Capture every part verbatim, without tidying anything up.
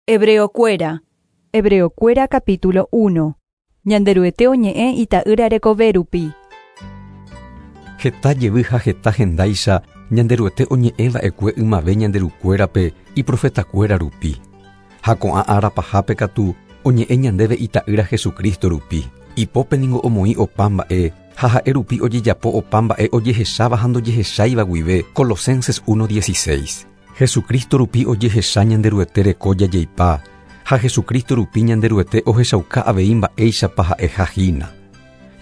Hebreokuéra. Hebreokuéra capítulo uno. Ñanderuete oñe'ẽ ita'ýra rekove rupi. Heta jevy ha heta hendáicha Ñanderuete oñe'ẽva'ekue ymave ñanderukuérape iprofetakuéra rupi. Ha ko'ã ára pahápe katu oñe'ẽ ñandéve ita'ýra Jesucristo rupi. Ipópe ningo omoĩ opa mba'e ha ha'e rupi ojejapo opa mba'e ojehecháva ha ndojehecháiva guive. Colosenses uno dieciséis. Jesucristo rupi ojehecha Ñanderuete reko jajeipa ha Jesucristo rupi Ñanderuete ohechauka avei mba'éichapa ha'eha hína.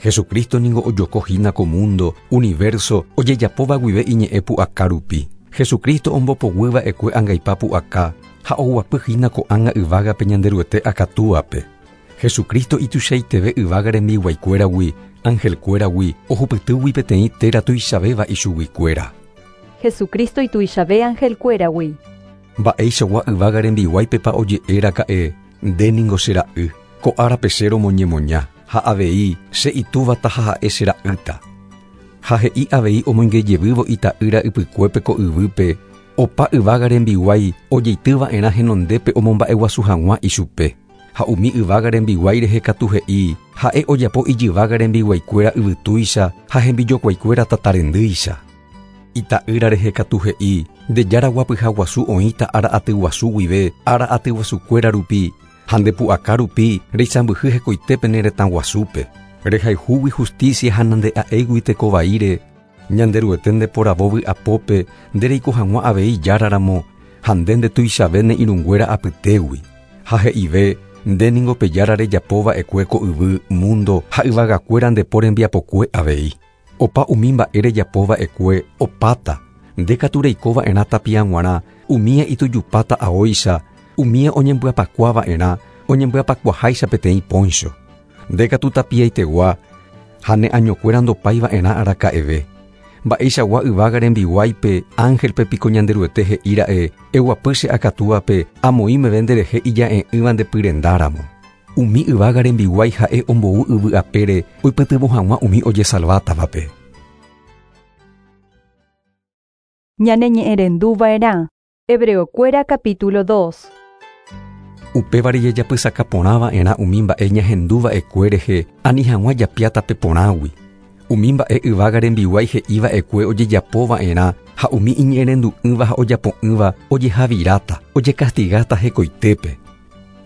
Jesucristo ningo ojoko hína ko mundo, universo, ojejapóva guive iñe'ẽ pu'aka rupi. Jesucristo ombopoguýva'ekue angaipa pu'aka ha oguapy hína ko'ág̃a yvágape Ñanderuete akatúape. Jesucristo ituichaiteve yvága rembiguaikuéragui, angelkuéragui, ohupytýgui peteĩ téra tuichavéva ichuguikuéra. Jesucristo ituichave angelkuéragui. Mba'eichagua yvága rembiguáipepa oje'éraka'e, nde ningo che ra'y, ko árape che romoñemoña, ha avei che itúvata ha ha'e che ra'ýta. Ha he'i avei omoingejevývo ita'ýra ypykuépe ko yvýpe, opa yvága rembiguái ojeitýva'erã henondépe omomba'eguasu hag̃ua ichupe. Ha umi yvága rembiguái rehe katu he'i, ha'e ojapo ijyvága rembiguaikuéra yvytúicha ha hembijokuaikuéra tatarendýicha. Ita'ýra rehe katu he'i, nde jára guapyha guasu oĩta ára aty guasu guive, ára aty guasukuéra rupi, ha nde pu'aka rupi reisãmbyhy hekoitépe ne retã guasúpe. Rehayhúgui justicia ha nande'a'éigui tekovaíre, Ñanderuete ndeporavo vy'apópe ndereiko hag̃ua avei járaramo ha nde ndetuichave ne irũnguéra apytégui. Ha he'ive, nde ningo pe jára rejapova'ekue ko yvy, mundo ha yvagakuéra ndepo rembiapokue avei. Opa umi mba'e rejapova'ekue opáta, nde katu reikova'erã tapia g̃uarã, umía itujupáta aóicha, umía oñembyapakuava'erã, oñembyapakuaháicha peteĩ poncho. Nde katu tapiaitegua ha ne añokuéra ndopáiva'erã araka'eve. Mba'eichagua yvága rembiguáipe, ángelpe piko Ñanderuete he'íra'e, eguapy che akatúape, amoĩ meve nderehe ija'e'ỹva ndepyrendáramo. Umi yvága rembiguái ha'e ombou yvy apére oipytyvõ hag̃ua umi ojesalvátavape. Ñane ñe'ẽrenduva'erã. Hebreokuéra capítulo dos. Upévare jajapysakaporãva'erã umi mba'e ñahenduva'ekue rehe ani hag̃ua japiátape porãgui. Umi mba'e yvága rembiguái he'íva'ekue ojejapova'erã ha umi iñe'ẽrendu'ỹva ha ojapo'ỹva ojehaviráta, ojekastigáta hekoitépe.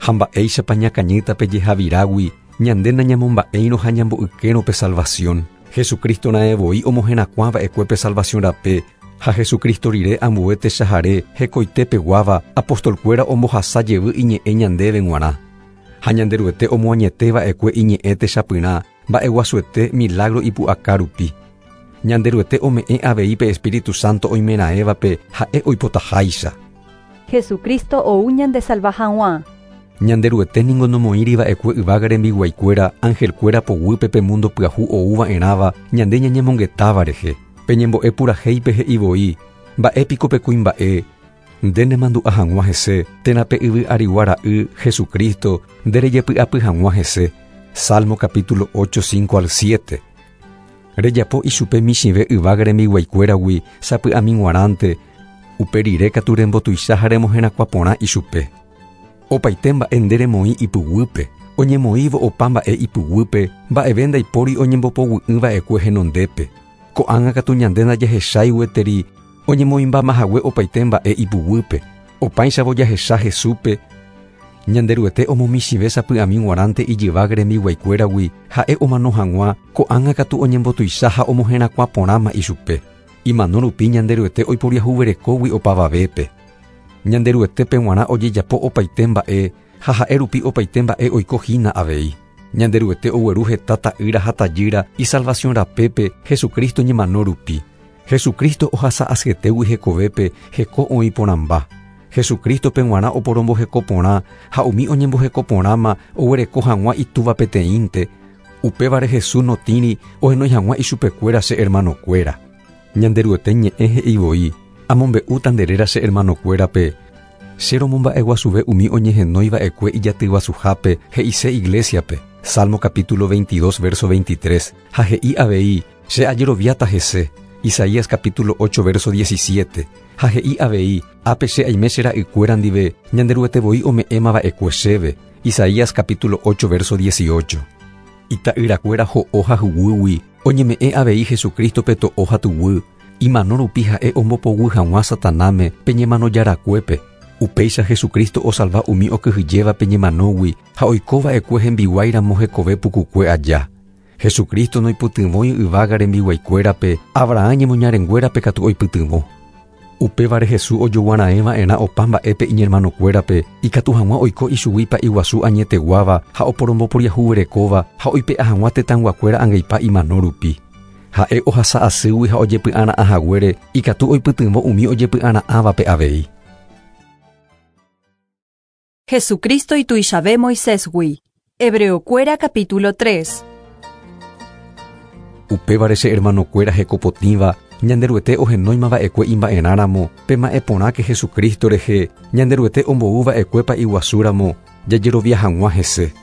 Ha mba'éichapa ñakañýtape jehavirágui ñande nañamomba'éirõ ha ñambo'ykérõ pe salvación. Jesucristo raẽvoi omoherakuãva'ekue pe salvación rape ha Jesucristo rire ambue techahare hekoitépeguáva apostolkuéra ombohasa jevy iñe'ẽ ñandéve g̃uarã. Ha Ñanderuete omoañetéva'ekue iñe'ẽ techapyrã mba'eguasuete milagro ipu'aka rupi. Ñanderuete ome'ẽ avei pe Espíritu Santo oimeraẽvape ha'e oipotaháicha. Jesucristo ou ñandesalva hag̃ua. Ñanderuete ningo nomoĩriva'ekue yvága rembiguaikuéra angelkuéra poguýpe pe mundo pyahu oúva'erãva ñande ñañemongetáva rehe. Peñembo'e purahéipe he'ivoi, mba'épiko pe kuimba'e, nde nemandu'a hag̃ua hese, térã pe yvy arigua ra'y Jesucristo nde rejepy'apy hag̃ua hese. Salmo capítulo ocho, cinco al siete. Rejapo ichupe michĩve yvága rembiguaikuéragui sapy'ami g̃uarãnte, upe rire katu rembotuicha ha remoherakuã porã ichupe. Opaite mba'e nde remoĩ ipyguýpe, oñemoĩvo opa mba'e ipyguýpe, mba'eve ndaipóri oñembopoguý'ỹva'ekue henondépe. Ko'ág̃a katu ñande ndajahechái gueteri oñemoĩmbamahague opaite mba'e ipyguýpe. Opáichavo jahecha Jesúspe, Ñanderuete omomichĩve sapy'ami g̃uarãnte ijyvága rembiguaikuéragui ha'e omano hag̃ua, ko'ág̃a katu oñembotuicha ha omoherakuã porãma ichupe. Imano rupi Ñanderuete oiporiahuverekógui opavavépe. Ñanderuetépe g̃uarã ojejapo opaite mba'e ha ha'e rupi opaite mba'e oiko hína avei. Ñanderuete ogueru heta ta'ýra ha tajýra isalvación rapépe Jesucristo ñemano rupi. Jesucristo ohasa asyetégui hekovépe heko oĩ porãmba. Jesucristo-pe g̃uarã oporomboheko porã ha umi oñemboheko porãma oguereko hag̃ua itúva peteĩnte. Upévare Jesús notĩri ohenói hag̃ua ichupekuéra che hermanokuéra. Ñanderuete ñe'ẽ he'ivoi, amombe'úta nde réra che hermanokuérape. Che romomba'eguasuve umi oñehenóiva'ekue ijatyguasuhápe he'ise iglesiape. Salmo capítulo veintidós, verso veintitrés. Ha he'i avei, che ajeroviáta hese. Isaías capítulo ocho verso diecisiete. Ha he'i avei, ápe che aime che ra'ykuéra ndive, Ñanderuete voi ome'ẽmava'ekue chéve. Isaías capítulo ocho verso dieciocho. Ita'yrakuéra ho'o ha huguýgui, oñeme'ẽ avei Jesucristo-pe to'o ha tuguy, imano rupi ha'e ombopoguy hag̃ua Satanáme pe ñemanojarakuépe. Upéicha Jesucristo osalva umi okyhyjéva pe ñemanógui ha oikova'ekue hembiguáiramo hekove pukukue aja. Jesucristo noipytyvõi yvága rembiguaikuérape, Abraham ñemoñarenguérape katu oipytyvõ. Upévare Jesús ojoguara'ẽva'erã opa mba'épe iñermanokuérape, ikatu hag̃ua oiko ichugui pa'iguasu añeteguáva ha oporomboporiahuverekóva ha oipe'a hag̃ua tetãyguakuéra angaipa imano rupi. Ha'e ohasa asýgui ha ojepy'ara'ã haguére, ikatu oipytyvõ umi ojepy'ara'ãvape avei. Jesucristo ituichave Moisésgui. Hebreokuéra capítulo tres. Upévare che hermanokuéra hekopotĩva, Ñanderuete ohenóimava'ekue imba'erãramo, pema'ẽporãke Jesucristo rehe, Ñanderuete omboúva'ekue pa'iguasúramo, jajerovia hag̃ua hese.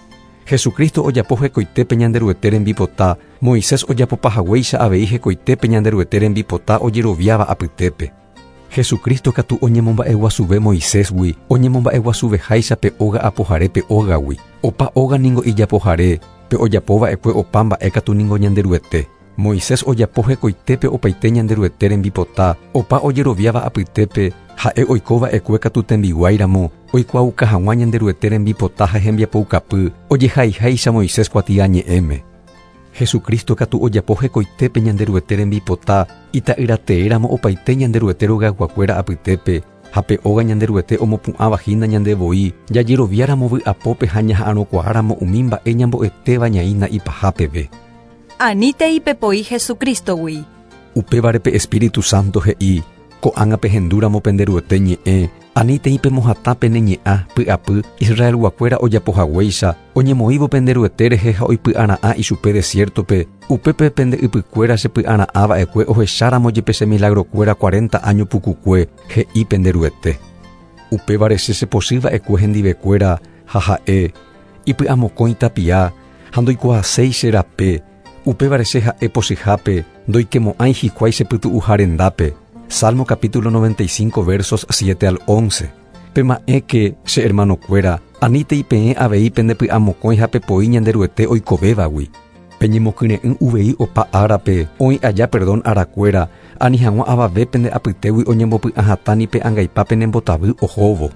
Jesucristo ojapo hekoitépe Ñanderuete rembipota, Moisés ojapopahaguéicha avei hekoitépe Ñanderuete rembipota ojeroviáva apytépe. Jesucristo katu oñemomba'eguasuve Moisésgui, oñemomba'eguasuveháicha pe óga apohare pe ógagui. Opa óga ningo ijapohare, pe ojapova'ekue opa mba'e katu ningo Ñanderuete. Moisés ojapo hekoitépe opaite Ñanderuete rembipota, opa ojeroviáva apytépe, ha'e oikova'ekue katu tembiguáiramo, oikuaauka hag̃ua Ñanderuete rembipota ha hembiapoukapy, ojehaiháicha Moisés kuatiañe'ẽme. Jesucristo katu ojapo hekoitépe Ñanderuete rembipota, ita'yrateéramo opaite Ñanderuete rogayguakuéra apytépe, ha pe óga Ñanderuete omopu'ãvahína ñandevoi, jajeroviáramo vy'apópe ha ñaha'arõkuaáramo umi mba'e ñambo'etéva ñaína ipahápeve. Anítei pepoi Jesucristogui. Upévare pe Espíritu Santo he'i, ko'ág̃a pehendúramo penderuete ñe'ẽ, anítei pemohatã pene ñe'ã py'apy Israelguakuéra ojapohaguéicha, oñemoĩvo penderuete rehe ha oipy'ara'ã ichupe desiertope, upépe pende ypykuéra chepy'ara'ãva'ekue ohecháramo jepe che milagrokuéra cuarenta año pukukue, he'i penderuete. Upévare che chepochýva'ekue hendivekuéra ha ha'e, ipy'amokõi tapia, ha ndoikuaaséi che rape, upévare che ha'e pochyhápe, ndoikemo'ãi hikuái chepytu'uha rendápe. Salmo capítulo noventa y cinco versos siete al once. Pema'ẽke che hermanokuéra, anítei peẽ avei pendepy'amokõi ha pepoi Ñanderuete oikovévagui. Peñemokyre'ỹ uvei opa árape, oĩ aja perdón arakuéra, ani hag̃ua avave pende apytégui oñembopy'ahatã pe angaipa penembotavy ohóvo.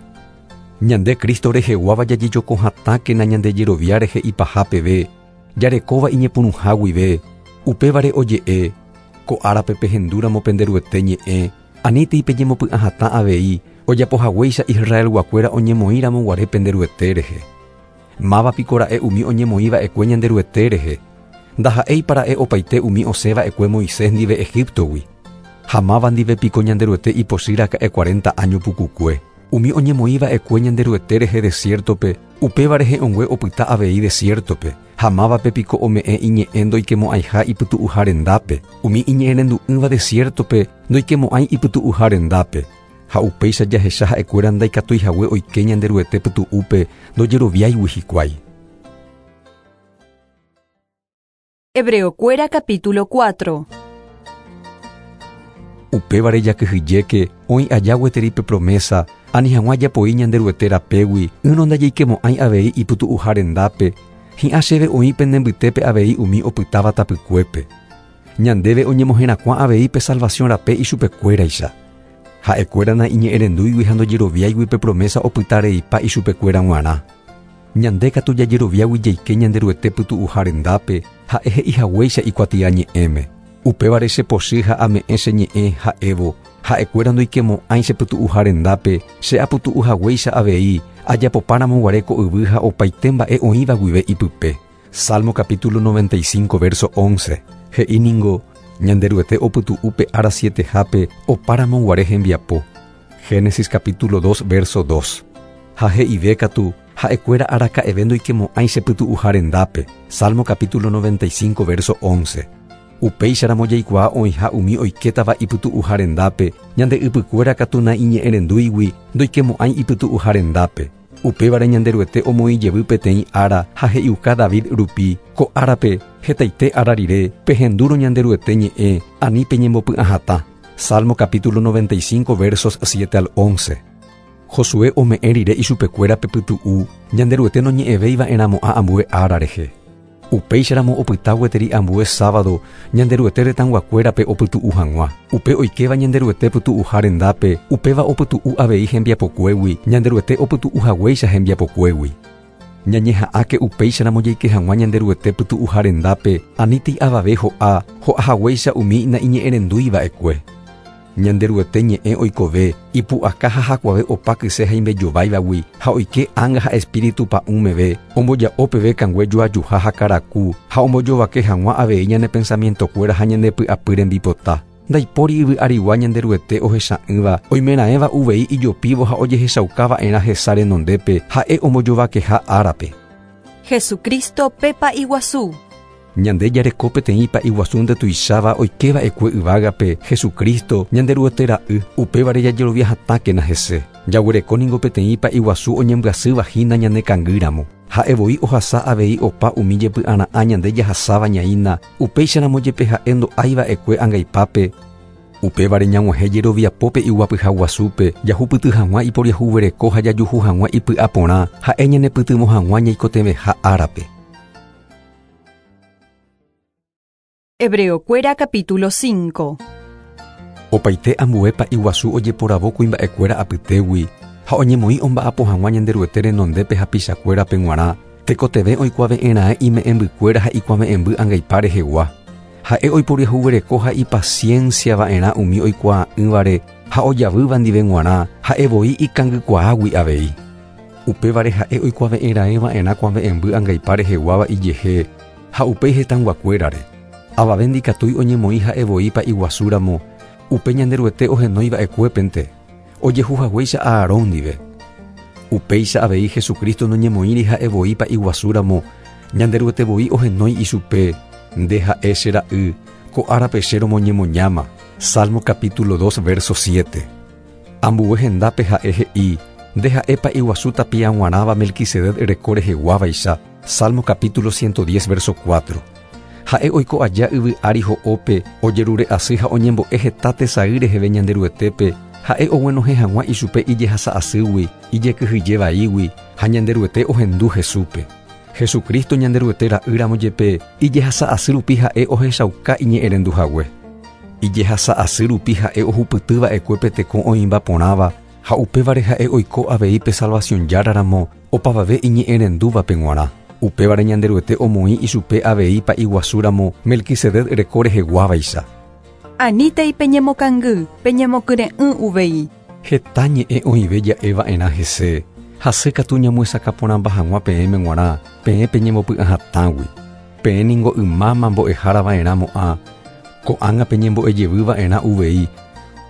Ñande Cristo reheguáva jajejokohatãkena ñandejerovia rehe ipahápeve, jarekóva iñepyrũha guive, upévare oje'e, ko árape pehendúramo penderuete ñe'ẽ, anítei peñemopy'ahatã avei, ojapohaguéicha Israelguakuéra oñemoĩramo guare penderuete rehe. Máva piko ra'e umi oñemoĩva'ekue Ñanderuete rehe, ndaha'éipa ra'e opaite umi osẽva'ekue Moisés ndive Egiptogui. Ha máva ndive piko Ñanderuete ipochýraka'e cuarenta año pukukue. Umi oñemoĩva'ekue Ñanderuete rehe desiertope, upéva rehe ongue opyta avei desiertope. Ha mávape piko ome'ẽ iñe'ẽ ndoikemo'ãiha ipytu'uha rendápe. Umi iñe'ẽrendu'ỹva desiertope ndoikemo'ãi ipytu'uha rendápe. Ha upéicha jahecha ha'ekuéra ndaikatuihague oike Ñanderuete pytu'úpe ndojeroviáigui hikuái. Hebreokuéra capítulo cuatro. Upévare jakyhyjéke oĩ aja gueteri pe promesa, ani hag̃ua japoi Ñanderuete rapégui, ỹrõ ndajaikemo'ãi avei ipytu'uha rendápe, hi'ã chéve oĩ pende mbytépe avei umi opytáva tapykuépe. Ñandéve oñemoherakuã avei pe salvación rape ichupekuéraicha. Ha'ekuéra naiñe'ẽrendúigui ha ndojeroviáigui pe promesa opytareipa ichupekuéra g̃uarã. Ñande katu jajeroviágui jaike Ñanderuete pytu'uha rendápe, ha'e he'ihaguéicha ikuatiañe'ẽme. Upévare chepochy ha ame'ẽ che ñe'ẽ ha'évo, ha'ekuéra ndoikemo'ãi chepytu'uha rendápe, che apytu'uhaguéicha avei, ajapopáramo guare ko yvy ha opaite mba'e oĩva guive ipype. Salmo capítulo noventa y cinco verso once. He'i ningo, Ñanderuete opytu'u pe ára sietehápe opáramo guare hembiapo. Génesis capítulo dos verso dos. Ha he'ive katu, ha'ekuéra araka'eve ndoikemo'ãi chepytu'uha rendápe. Salmo capítulo noventa y cinco verso once. Upéicharamo jaikuaa oĩha umi oikétava ipytu'uha rendápe, ñande ypykuéra katu naiñe'ẽrendúigui ndoikemo'ãi ipytu'uha rendápe. Upévare Ñanderuete omoĩ jevy peteĩ ára ha he'iuka David rupi, ko árape hetaite ára rire pehendúrõ Ñanderuete ñe'ẽ ani peñembopy'ahatã. Salmo capítulo noventa y cinco versos siete al once. Josué ome'ẽ rire ichupekuéra pepytu'u, Ñanderuete noñe'ẽvéiva'erãmo'ã ambue ára rehe. Upéicharamo opyta gueteri ambue sábado Ñanderuete retãguakuérape opytu'u hag̃ua. Upe oikéva Ñanderuete pytu'uha rendápe, upéva opytu'u avei hembiapokuégui, Ñanderuete opytu'u haguéicha hembiapokuégui. Ñañeha'ãke upéicharamo jaike hag̃ua Ñanderuete pytu'uha rendápe, anítei avave ho'a, ho'a haguéicha umi naiñe'ẽrendúiva'ekue. Ñanderuete ñe'ẽ oikove, ipu'aka ha hakuave opa kyse ha imbejováivagui, ha oike ánga ha espíritu pa'ũmeve, omboja'o peve kangue joajuha ha karaku, ha ombojovake hag̃ua avei ñane pensamientokuéra ha ñane py'apy rembipota. Ndaipóri yvy arigua Ñanderuete ohecha'ỹva, oimeraẽva uvei ijopívo ha ojehechaukava'erã hesa renondépe, ha'e ombojovakeha árape. Jesucristo pepa iguazú. Ñande jareko peteĩ pa'i guasu ndetuicháva oikéva'ekue yvágape, Jesucristo, Ñanderuete ra'y, upévare jajerovia hatãkena hese. Jaguereko ningo peteĩ pa'i guasu oñembyasýva hína ñane kangýramo. Ha'e voi ohasa avei opa umi jepy'ara'ã ñande jahasáva ñaína, upéicharamo jepe ha'e ndo'aiva'ekue angaipápe. Upévare ñag̃uahẽ jeroviapópe iguapyha guasúpe, jahupyty hag̃ua iporiahuvereko ha jajuhu hag̃ua ipy'aporã, ha'e ñanepytyvõ hag̃ua ñaikotevẽha árape. Hebreokuéra capítulo cinco. Opaite ambue pa'i guasu ojeporavo kuimba'ekuéra apytégui, ha oñemoĩ omba'apo hag̃ua Ñanderuete renondépe hapichakuérape g̃uarã, tekotevẽ oikuave'ẽra'e ime'ẽmbykuéra ha ikuave'ẽmby angaipa rehegua. Ha'e oiporiahuvereko ha ipacienciava'erã umi oikuaa'ỹvare ha ojavýva ndive g̃uarã, ha'e voi ikangykuaágui avei. Upévare ha'e oikuave'ẽra'eva'erã kuave'ẽmby angaipa reheguáva ijehe ha upéi hetãguakuérare. Avave ndikatúi oñemoĩ ha'e voi pa'i guasúramo, upe Ñanderuete ohenóiva'ekuépente, ojehu haguéicha Aarón ndive. Upéicha avei Jesucristo noñemoĩri ha'e voi pa'i guasúramo, Ñanderuete voi ohenói ichupe, nde ha'e che ra'y, ko árape che romoñemoñáma. Salmo capítulo dos verso siete. Ambue hendápe ha'e he'i, nde ha'e pa'i guasu tapiag̃uarãva Melquisedec reko reheguávaicha. Salmo capítulo ciento diez verso cuatro. Ha'e oiko aja yvy ári ho'ópe, ojerure asy ha oñembo'e heta tesay reheve Ñanderuetépe, ha'e oguenohẽ hag̃ua ichupe ijehasa asýgui, ijekyhyje vaígui, ha Ñanderuete ohendu Jesúspe. Jesucristo Ñanderuete ra'ýramo jepe, ijehasa asy rupi ha'e ohechauka iñe'ẽrendu hague. Ijehasa asy rupi ha'e ohupytýva'ekue pe teko oĩmba porãva, ha upévare ha'e oiko avei pe salvación járaramo, opavave iñe'ẽrendúvape g̃uarã. Upévare Ñanderuete omoĩ ichupe avei pa'i guasúramo Melquisedec reko reheguávaicha. Anítei peñemokangy, peñemokyre'ỹ uvei. Heta ñe'ẽ oĩve ja'eva'erã hese, hasýkatu ñamoesakãporãmba hag̃ua peẽme g̃uarã, peẽ peñembopy'ahatãgui. Peẽ ningo ymáma mbo'ehárava'erãmo'ã, ko'ág̃a peñembo'ejevýva'erã uvei,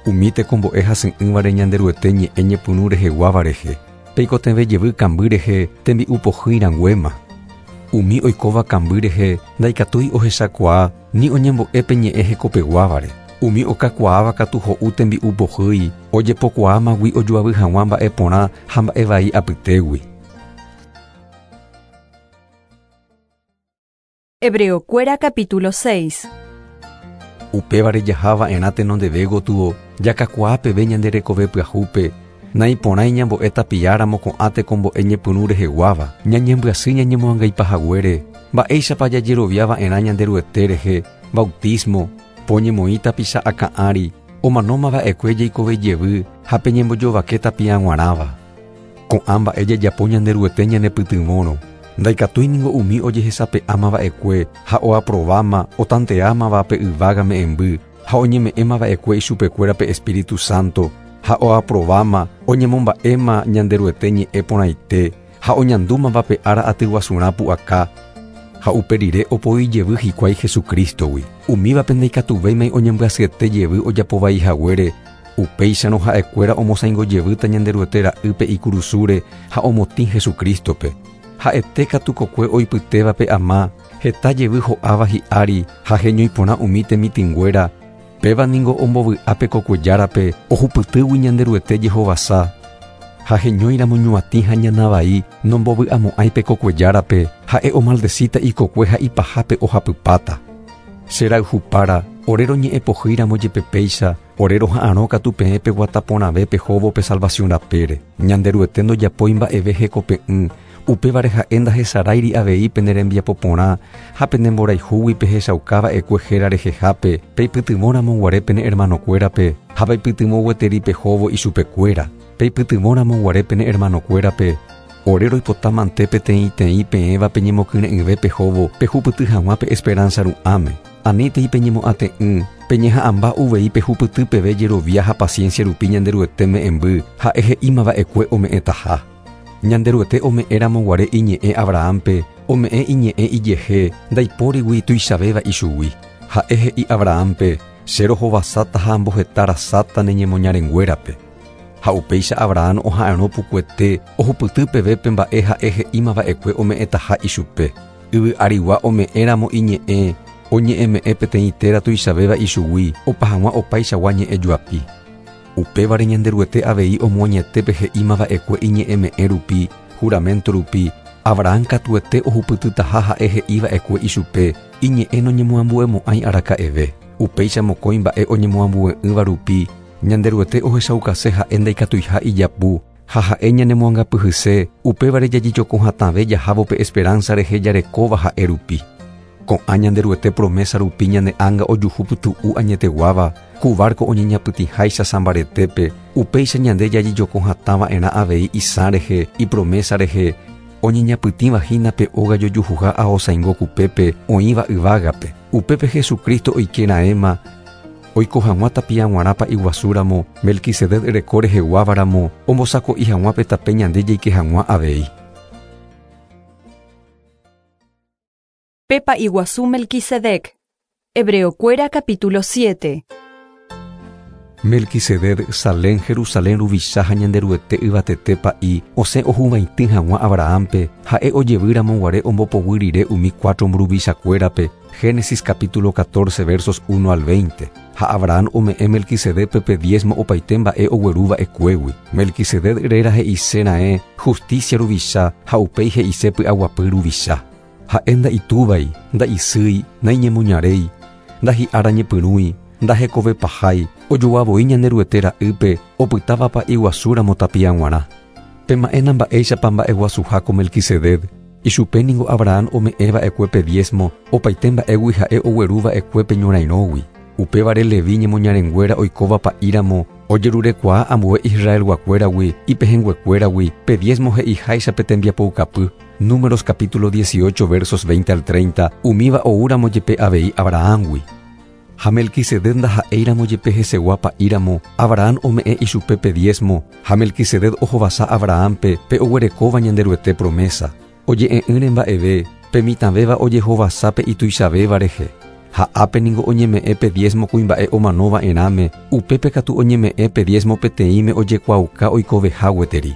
umi tekombo'e hasy'ỹvare Ñanderuete ñe'ẽ ñepyrũ reheguáva rehe, peikotevẽ jevy kamby rehe tembi'u pohýi rãnguéma. Umi oikóva kamby rehe ndaikatúi ohechakuaa ni oñembo'e pe ñe'ẽ hekopeguávare. Umi okakuaáva katu ho'u tembi'u pohýi, ojepokuaámagui ojoavy hag̃ua mba'e porã ha mba'e vai apytégui. Hebreokuéra capítulo seis. Upévare jahava'erã tenondeve gotyo, jakakuaa peve ñande rekove pyahúpe, naiporãi ñambo'e tapiáramo ko'ã tekombo'e ñepyrũ reheguáva, ñañembyasy ñañemoangaipahaguére, mba'éichapa jajeroviava'erã Ñanderuete rehe, bautismo, poñemoĩ tapicha akã'ári, omanómava'ekue jaikove jevy ha peñembojovake tapiag̃uarãva. Ko'ã mba'e jajapo Ñanderuete ñanepytyvõrõ, ndaikatúi ningo umi ojehesape'ámava'ekue ha oaprováma otanteámava pe yvága me'ẽmby ha oñeme'ẽmava'ekue ichupekuéra pe Espíritu Santo ha oaprováma oñemomba'éma Ñanderuete ñe'ẽ porãite ha oñandúmava pe ára atyguasurã pu'aka ha upe rire opoi jevy hikuái Jesucristogui. Umívape ndaikatuvéimai oñembyasyete jevy ojapovai haguére, upéicharõ ha'ekuéra omosãingo jevýta Ñanderuete ra'ýpe ikurusúre ha omotĩ Jesucristope. Ha'ete katu kokue oipytévape ama, heta jevy ho'áva hi'ári ha heñoiporã umi temitỹnguéra, péva ningo ombovy'ápe kokuejárape ohupytýgui Ñanderuete jehovasa. Ha heñóiramo ñuatĩ ha ñana vai nombovy'amo'ãi pe kokuejárape, ha'e omaldecíta ikokue ha ipahápe ohapypáta. Cherayhupára, ore roñe'ẽpohýiramo jepe péicha, ore roha'arõ katu peẽ peguataporãve pehóvo pe salvación rapére. Ñanderuete ndojapói mba'eve hekope'ỹ, upévare ha'e ndahesaráiri avei pene rembiapo porã ha pene mborayhúgui pehechaukava'ekue héra rehehápe, peipytyvõramo guare pene hermanokuérape ha peipytyvõ gueteri pehóvo ichupekuéra. Peipytyvõramo guare pene hermanokuérape, ore roipotámante peteĩteĩ peẽva peñemokyre'ỹve pehóvo pehupyty hag̃ua pe esperanza ru'ãme. Anítei peñemo'ãte'ỹ, peñeha'ãmba uvei pehupyty peve jerovia ha paciencia rupi Ñanderuete me'ẽmby ha'e he'ímava'ekue ome'ẽtaha. Ñanderuete ome'ẽramo guare iñe'ẽ Abrahampe, ome'ẽ iñe'ẽ ijehe, ndaipórigui tuichavéva ichugui. Ha'e he'i Abrahampe, che rohovasáta ha amboheta rasáta ne ñemoñarenguérape. Ha upéicha Abraham oha'arõ pukuete ohupyty peve pe mba'e ha'e he'ímava'ekue ome'ẽtaha ichupe. Yvy arigua ome'ẽramo iñe'ẽ, oñe'ẽme'ẽ peteĩ téra tuichavéva ichugui, opa hag̃ua opaichagua ñe'ẽ joapi. Upévare Ñanderuete avei omoañete pe he'ímava'ekue iñe'ẽme'ẽ rupi, juramento rupi, Abraham katuete ohupytytaha ha'e he'íva'ekue ichupe, iñe'ẽ noñemoambuemo'ãi araka'eve. Upéicha mokõi mba'e oñemoambue'ỹva rupi, Ñanderuete ohechaukase ha'e ndaikatuiha ijapu, ha ha'e ñanemoangapyhyse, upévare jajejokohatãve jahávo pe esperanza rehe jarekóva ha'e rupi. Ko'ã Ñanderuete promesa rupi ñane ánga ojuhu pytu'u añeteguáva, ku barco oñeñapytĩháicha sã mbaretépe, upéicha ñande jajejokohatãva'erã avei isã rehe, ipromesa rehe, oñeñapytĩvahína pe óga jojuhuha aosãingo kupépe oĩva yvágape. Upépe Jesucristo oikeraẽma, oiko hag̃ua tapia g̃uarãpa iguasúramo, Melquisedec reko reheguávaramo, ombosako'i hag̃ua pe tape ñande jaike hag̃ua avei. Pepa Iguazú Melquisedec. Hebreokuéra capítulo siete. Melquisedec Salem Jerusalén ruvicha ha Ñanderuete yvatete pa'i osẽ ohuvaitĩ hag̃ua Abrahampe, ha'e ojevýramo guare ombopoguy rire umi cuatro mburuvichakuérape, Génesis capítulo catorce versos uno al veinte. Ha Abraham ome'ẽ Melquisedecpe pe diezmo opaite mba'e ogueruva'ekuégui. Melquisedec réra he'ise ra'e justicia ruvicha ha upéi he'ise py'aguapy ruvicha. Ha'e nda'itúvai, nda'isýi, naiñemoñaréi, ndahi'ára ñepyrũi, ndahekovepahái, ojoavoi Ñanderuete ra'ýpe, opytávapa iguasúramo tapia g̃uarã. Pema'ẽna mba'éichapa mba'eguasuha ko Melquisedec, ichupe ningo Abraham ome'ẽva'ekue pe diezmo, opaite mba'égui ha'e ogueruva'ekue pe ñorairõgui. Upévare Levi ñemoñarenguéra oikóva pa'íramo, ojerurekuaa ambue Israelguakuéragui, ipehẽnguekuéragui, pe diezmo he'iháicha pe tembiapoukapy. Números capítulo dieciocho versos veinte al treinta, umíva oúramo jepe avei Abrahamgui. Ha Melquisedec ndaha'éiramo jepe hesegua pa'íramo, Abraham ome'ẽ ichupe pe diezmo, ha Melquisedec ohovasa Abrahampe pe oguerekóva Ñanderuete promesa. Oje'e'ỹre mba'eve, pe mitãvéva ojehovasa pe ituichavéva rehe. Ha ápe ningo oñeme'ẽ pe diezmo kuimba'e omanova'erãme, upépe katu oñeme'ẽ pe diezmo peteĩme ojekuaauka oikoveha gueteri.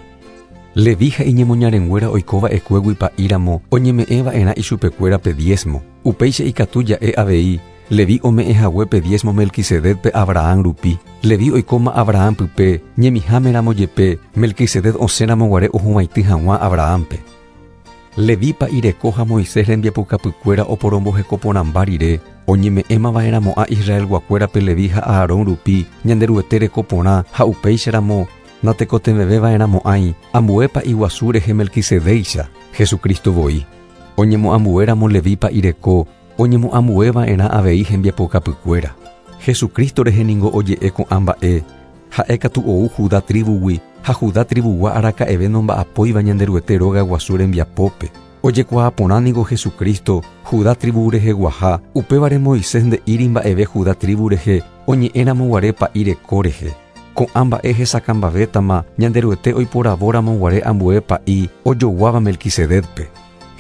Levi ha iñemoñarenguéra oikova'ekuégui pa'íramo, oñeme'ẽva'erã ichupekuéra pe diezmo. Upéicha ikatu ja'e avei, Levi ome'ẽhague pe diezmo Melquisedecpe Abraham rupi. Levi oikóma Abraham pype, ñemihámeramo jepe, Melquisedec osẽramo guare ohuvaitĩ hag̃ua Abrahampe. Levi pa'ireko ha Moisés rembiapokapykuéra oporombohekoporãmba rire, oñeme'ẽmava'erãmo'ã Israelguakuérape Levi ha Aarón rupi, Ñanderuete rekoporã ha upéicharamo natekotevẽveva'erãmo'ãi ambue pa'iguasu rehe Melquisedéicha, Jesucristo voi. Oñemoambuéramo Levi pa'ireko, oñemoambueva'erã avei hembiapokapykuéra. Jesucristo rehe ningo oje'e ko'ã mba'e, ha'e katu ou Judá tribugui, ha Judá tribugua araka'eve nomba'apóiva Ñanderuete róga guasu rembiapópe. Ojekuaaporã ningo Jesucristo, Judá tribu reheguaha, upévare Moisés nde'íri mba'eve Judá tribu rehe, oñe'ẽramo guare pa'i reko rehe. Ko'ã mba'e hesakãmbavétama Ñanderuete oiporavóramo guare ambue pa'i ojoguáva Melquisedecpe.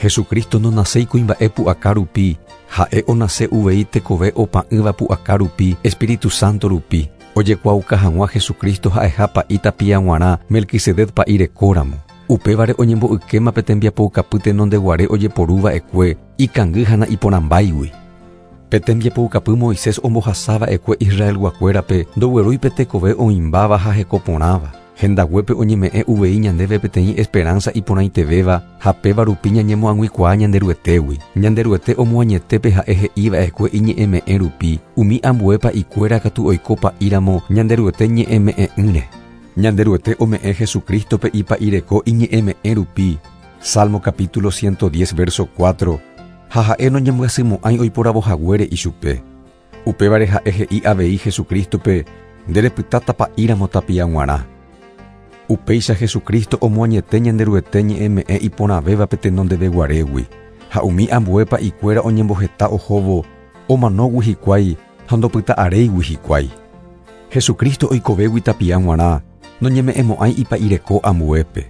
Jesucristo nonaséi kuimba'e pu'aka rupi, ha'e onase uvei tekove opa'ỹva pu'aka rupi, Espíritu Santo rupi. Ojekuaauka hag̃ua Jesucristo ha'eha pa'i tapia g̃uarã Melquisedec pa'i rekóramo. Upévare oñembo'ykéma pe tembiapoukapy tenondeguare ojeporuva'ekue, ikangy ha na'iporãmbáigui. Pe tembiapoukapy Moisés ombohasava'ekue Israelguakuérape ndoguerúi pe tekove oĩmbáva ha hekoporãva. Hendaguépe oñeme'ẽ uvei ñandéve peteĩ esperanza iporãitevéva ha péva rupi ñañemoag̃uikuaa Ñanderuetégui. Ñanderuete omoañetépe ha'e he'iva'ekue iñe'ẽme'ẽ rupi, umi ambue pa'ikuéra katu oiko pa'íramo Ñanderuete ñe'ẽme'ẽ'ỹre. Ñanderuete ome'ẽ Jesucristope ipa'ireko iñe'ẽme'ẽ rupi. Salmo capítulo ciento diez verso cuatro. Ha ha'e noñembyasymo'ãi oiporavohaguére ichupe. Upévare ha'e he'i avei Jesucristope nderepytáta pa'íramo tapia g̃uarã. Upéicha Jesucristo omoañete Ñanderuete ñe'ẽme'ẽ iporãvévape tenondeveguarégui. Ha umi ambue pa'ikuéra oñemboheta ohóvo omanógui hikuái ha ndopyta'aréigui hikuái. Jesucristo oikovégui tapia g̃uarã noñeme'ẽmo'ãi ipa'ireko ambuépe.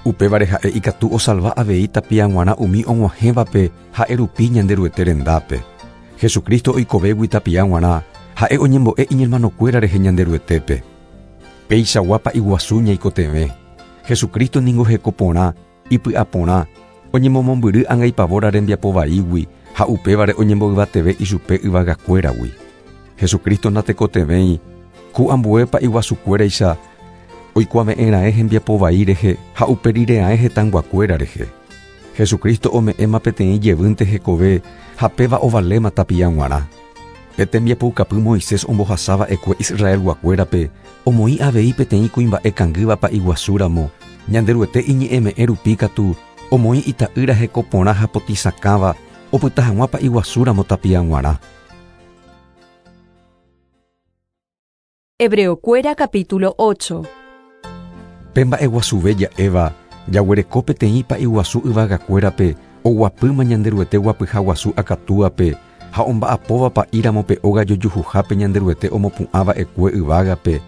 Upévare ha'e ikatu osalva avei tapia g̃uarã umi og̃uahẽvape ha'e rupi Ñanderuete rendápe. Jesucristo oikovégui tapia g̃uarã ha'e oñembo'e iñermanokuéra rehe Ñanderuetépe. Péichagua pa'iguasu ñaikotevẽ. Jesucristo ningo hekoporã, ipy'aporã, oñemomombyry angaipavóra rembiapovaígui ha upévare oñemboyvateve ichupe yvagakuéragui. Jesucristo natekotevẽi ku ambue pa'iguasukuéraicha oikuave'ẽra'e hembiapovai rehe ha uperire'ae hetãyguakuéra rehe. Jesucristo ome'ẽma peteĩ jevýnte hekove ha péva ovaléma tapia g̃uarã. Pe tembiapoukapy Moisés ombohasava'ekue Israelguakuérape omoĩ avei peteĩ kuimba'e kangýva pa'iguasúramo Ñanderuete iñe'ẽme'ẽ rupi katu omoĩ ita'ýra hekoporã ha potisakãva opyta hag̃ua pa'iguasúramo tapia g̃uarã. Hebreokuéra capítulo ocho. Pe mba'eguasuve ja'éva jaguereko peteĩ pa'iguasu yvagakuérape oguapýma Ñanderuete guapyha guasu akatúape ha omba'apóva pa'íramo pe óga jojuhuhápe Ñanderuete omopu'ãva'ekue yvágape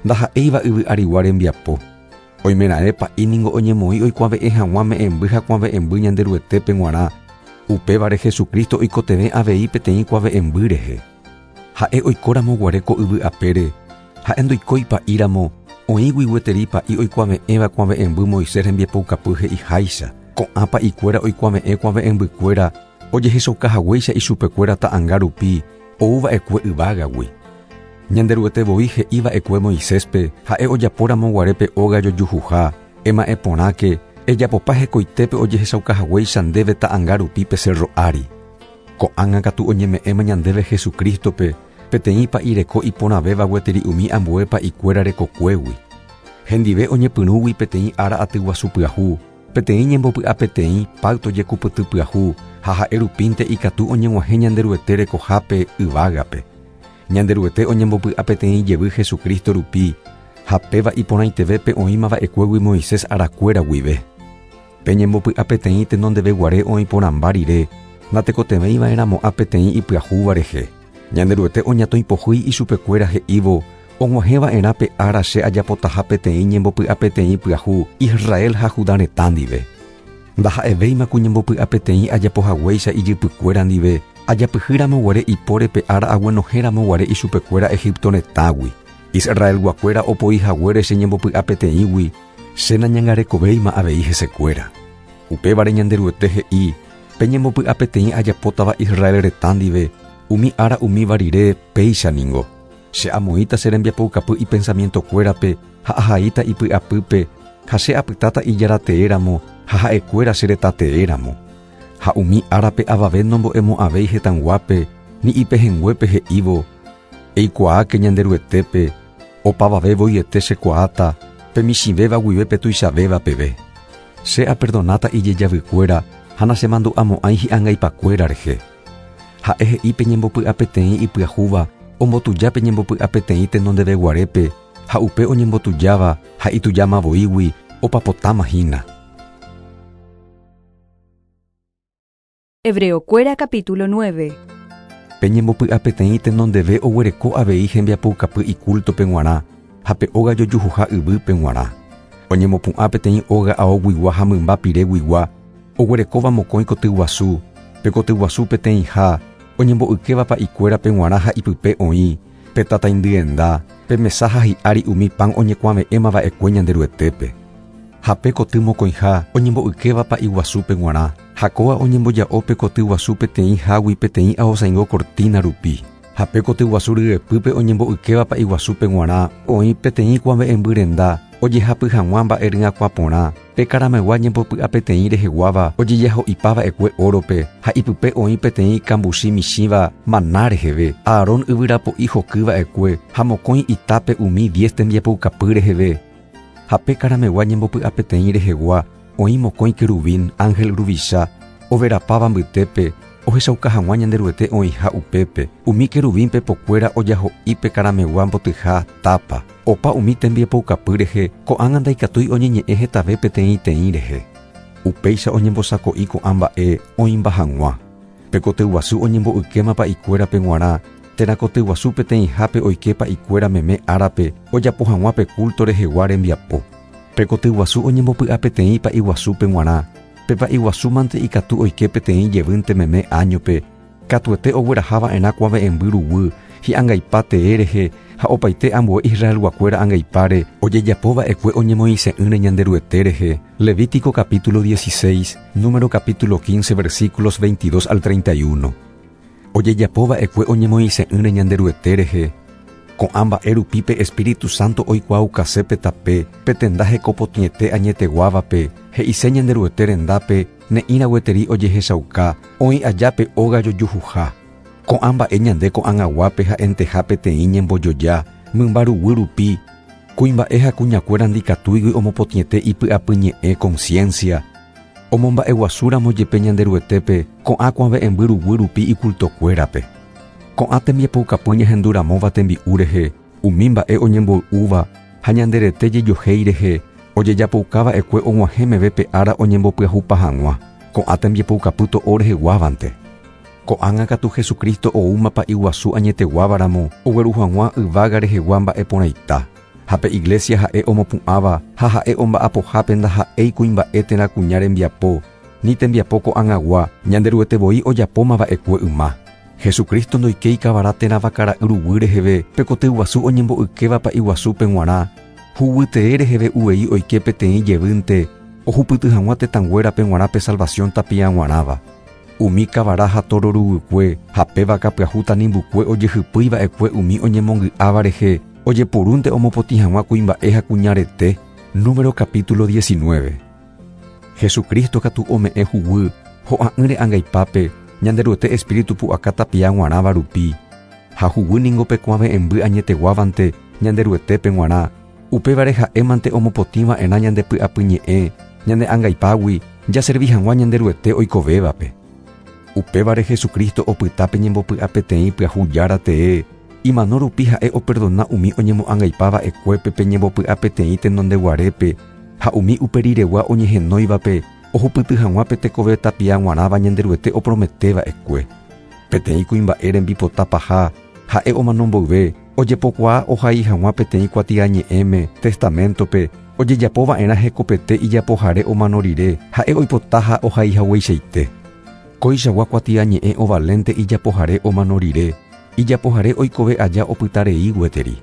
ndaha'éiva yvy arigua rembiapo. Oimera'e pa'i ningo oñemoĩ oikuave'ẽ hag̃ua me'ẽmby ha kuave'ẽmby Ñanderuetépe g̃uarã. Upévare Jesucristo oikotevẽ avei peteĩ kuave'ẽmby rehe. Ha'e oikóramo guare ko yvy apére, ha'e ndoikói pa'íramo oĩgui gueteri pa'i oikuave'ẽva kuave'ẽmby Moisés rembiapoukapy he'iháicha. Ko'ã pa'ikuéra oikuave'ẽ kuave'ẽmbykuéra ojehechaukahaguéicha ichupekuéra ta'ãnga rupi ouva'ekue yvágagui. Ñanderuete voi he'iva'ekue Moiséspe ha'e ojapóramo guare pe óga jojuhuha, ema'ẽporãke ejapopa hekoitépe ojehechaukahaguéicha ndéve ta'ãnga rupi pe cerro ári. Ko'ág̃a katu oñeme'ẽma ñandéve Jesucristope peteĩ pa'ireko iporãvéva gueteri umi ambue pa'ikuéra rekokuégui. Hendive oñepyrũgui peteĩ ára atyguasu pyahu, peteĩ ñembopy'a peteĩ pacto jekupyty pyahu ha ha'e rupínte ikatu oñeg̃uahẽ Ñanderuete rekohápe yvágape. Ñanderuete oñembopy'a peteĩ jevy Jesucristo rupi ha péva iporãitevépe oĩmava'ekuégui Moisés arakuéra guive. Pe ñembopy'a peteĩ tenondeveguare oĩporãmba rire natekotevẽiva'erãmo'ã peteĩ ipyahúva rehe. Ñanderuete oñatõipohýi ichupekuéra he'ívo og̃uahẽva'erã pe ára che ajapotaha peteĩ ñembopy'a peteĩ pyahu Israel ha Judá retã ndive. Ndaha'evéima ku ñembopy'a peteĩ ajapohaguéicha ijypykuéra ndive ajapyhýramo guare ipóre pe ára aguenohéramo guare ichupekuéra Egipto retãgui. Israelguakuéra opoihaguére che ñembopy'a peteĩgui che nañangarekovéima avei hesekuéra. Upévare Ñanderuete he'i pe ñembopy'a peteĩ ajapótava Israel retã ndive umi ára umíva rire péicha ningo. Che amoĩta che rembiapoukapy ipensamientokuérape ha ahaíta ipy'apýpe ha che apytáta ijarateéramo ha ha'ekuéra che retateéramo. Ha umi árape avave nombo'emo'ãvéi hetãguápe ni ipehẽnguépe he'ívo eikuaáke Ñanderuetépe opavave voiete chekuaáta pe michĩvéva guive pe tuichavéva peve. Che aperdonáta ijejavykuéra ha nachemandu'amo'ãi hi'angaipakuéra rehe. Ha'e he'i pe ñembopy'a peteĩ ipyahúva ombotuja pe ñembopy'a peteĩ tenondeveguarépe ha upe oñembotujáva ha itujamavoígui opapotáma hína. Hebreokuéra capítulo nueve. Pe ñembopy'a peteĩ tenondeve oguereko avei hembiapoukapy icultope g̃uarã ha pe óga jojuhuha yvýpe g̃uarã. Oñemopu'ã peteĩ óga aoguigua ha mymba pireguigua oguerekóva mokõi kotyguasu, pe kotyguasu peteĩha oñembo'ykéva pa'ikuérape g̃uarã ha ipype oĩ, pe tataindyenda, pe mesa ha hi'ári umi pan oñekuave'ẽmava'ekue Ñanderuetépe. Ha pe koty mokõiha oñembo'ykéva pa'iguasúpe g̃uarã, ha kóva oñemboja'o pe kotyguasu peteĩ hágui peteĩ aosaingo cortina rupi. Ha pe kotyguasu ryepýpe oñembo'ykéva pa'iguasúpe g̃uarã oĩ peteĩ kuave'ẽmby renda Ojehapy hag̃ua mba'e ryakuã porã, pe karamegua ñembopy'apeteĩ reheguáva ojejaho'ipava'ekue órope ha ipype oĩ peteĩ kambuchi michĩva maná reheve, Aarón yvyrapo'i hokyva'ekue ha mokõi itápe umi diez tembiapoukapy reheve. Ha pe karamegua ñembopy'apeteĩ rehegua oĩ mokõi querubín ángel ruvicha overapáva mbytépe ohechauka hag̃ua Ñanderuete oĩha upépe. Umi querubín pepokuéra ojaho'i pe karamegua mbotyha tápa. Opa umi tembiapoukapy rehe ko'ág̃a ndaikatúi oñeñe'ẽ hetave peteĩteĩ rehe. Upéicha oñembosako'i ko'ã mba'e oĩmba hag̃ua. Pe kotyguasu oñembo'ykéma pa'ikuérape g̃uarã térã kotyguasu peteĩhápe oike pa'ikuéra meme árape ojapo hag̃ua pe culto rehegua rembiapo. Pe kotyguasu oñembopy'apeteĩ pa'iguasúpe g̃uarã. Pe pa'iguasúmante ikatu oike peteĩ jevýnte meme áñope, katuete oguerahava'erã kuave'ẽmby ruguy hi'angaipa tee rehe ha opaite ambue Israelguakuéra angaipáre ojejapova'ekue oñemoĩse'ỹre Ñanderuete rehe. Levítico capítulo dieciséis, número capítulo quince, versículos veintidós al treinta y uno. Ojejapova'ekue oñemoĩse'ỹre Ñanderuete rehe. Ko'ã mba'e rupi pe Espíritu Santo oikuaukase pe tape, pe tenda hekopotĩete añeteguávape, he'ise Ñanderuete rendápe ne'ĩra gueteri ojehechauka, oĩ aja pe óga jojuhuha. Ko'ã mba'e ñande ko'ag̃aguápe ha'enteha peteĩ ñembojoja, mymba ruguy rupi, kuimba'e ha kuñakuéra ndikatúigui omopotĩete ipy'apyñe'ẽ conciencia. Omomba'eguasúramo jepe Ñanderuetépe ko'ã kuave'ẽmby ruguy rupi icultokuérape. Ko'ã tembiapoukapy ñahenduramóva tembi'u rehe, umi mba'e oñemboy'úva ha ñanderete jejohéi rehe, ojejapoukava'ekue og̃uahẽ meve pe ára oñembopyahupa hag̃ua. Ko'ã tembiapoukapy to'o reheguávante. Ko'ág̃a katu Jesucristo oúma pa'iguasu añeteguávaramo ogueru hag̃ua yvága rehegua mba'e porãita. Ha pe iglesia ha'e omopu'ãva ha ha'e omba'apohápe ndaha'éi kuimba'e térã kuña rembiapo, ni tembiapo ko'ag̃agua Ñanderuete voi ojapómava'ekue yma. Jesucristo ndoikéi kavara térã vakara'y ruguy reheve pe kotyguasu oñembo'ykéva pa'iguasúpe g̃uarã, huguytee reheve uvei oike peteĩ jevýnte ohupyty hag̃ua tetãnguérape g̃uarã pe salvación tapia g̃uarãva. Umi kavara ha toro ruguykue ha pe vaka pyahu tanimbukue ojehypýiva'ekue umi oñemongy'áva rehe ojeporúnte omopotĩ hag̃ua kuimba'e ha kuña rete. Número capítulo diecinueve. Jesucristo katu ome'ẽ huguy ho'a'ỹre angaipápe Ñanderuete Espíritu pu'aka tapia g̃uarãva rupi. Ha huguy ningo pe kuave'ẽmby añeteguávante Ñanderuetépe g̃uarã. Upévare ha'émante omopotĩva'erã ñande py'apyñe'ẽ ñane angaipágui jaservi hag̃ua Ñanderuete oikovévape. Upévare Jesucristo opyta pe ñembopy'apeteĩ pyahu jára tee, imano rupi ha'e operdona umi oñemo'angaipava'ekuépe pe ñembopy'apeteĩ tenondeguarépe ha umi uperiregua oñehenóivape ohupyty hag̃ua pe tekove tapia g̃uarãva Ñanderuete oprometeva'ekue. Peteĩ kuimba'e rembipotapaha ha'e omano mboyve ojepokuaa ohai hag̃ua peteĩ kuatiañe'ẽme testamentope ojejapova'erã hekopete ijapohare omano rire ha'e oipotaha ohai hagueichaite. Koichagua kuatiañe'ẽ ovalente ijapohare omano rire, ijapohare oikove aja opytarei gueteri.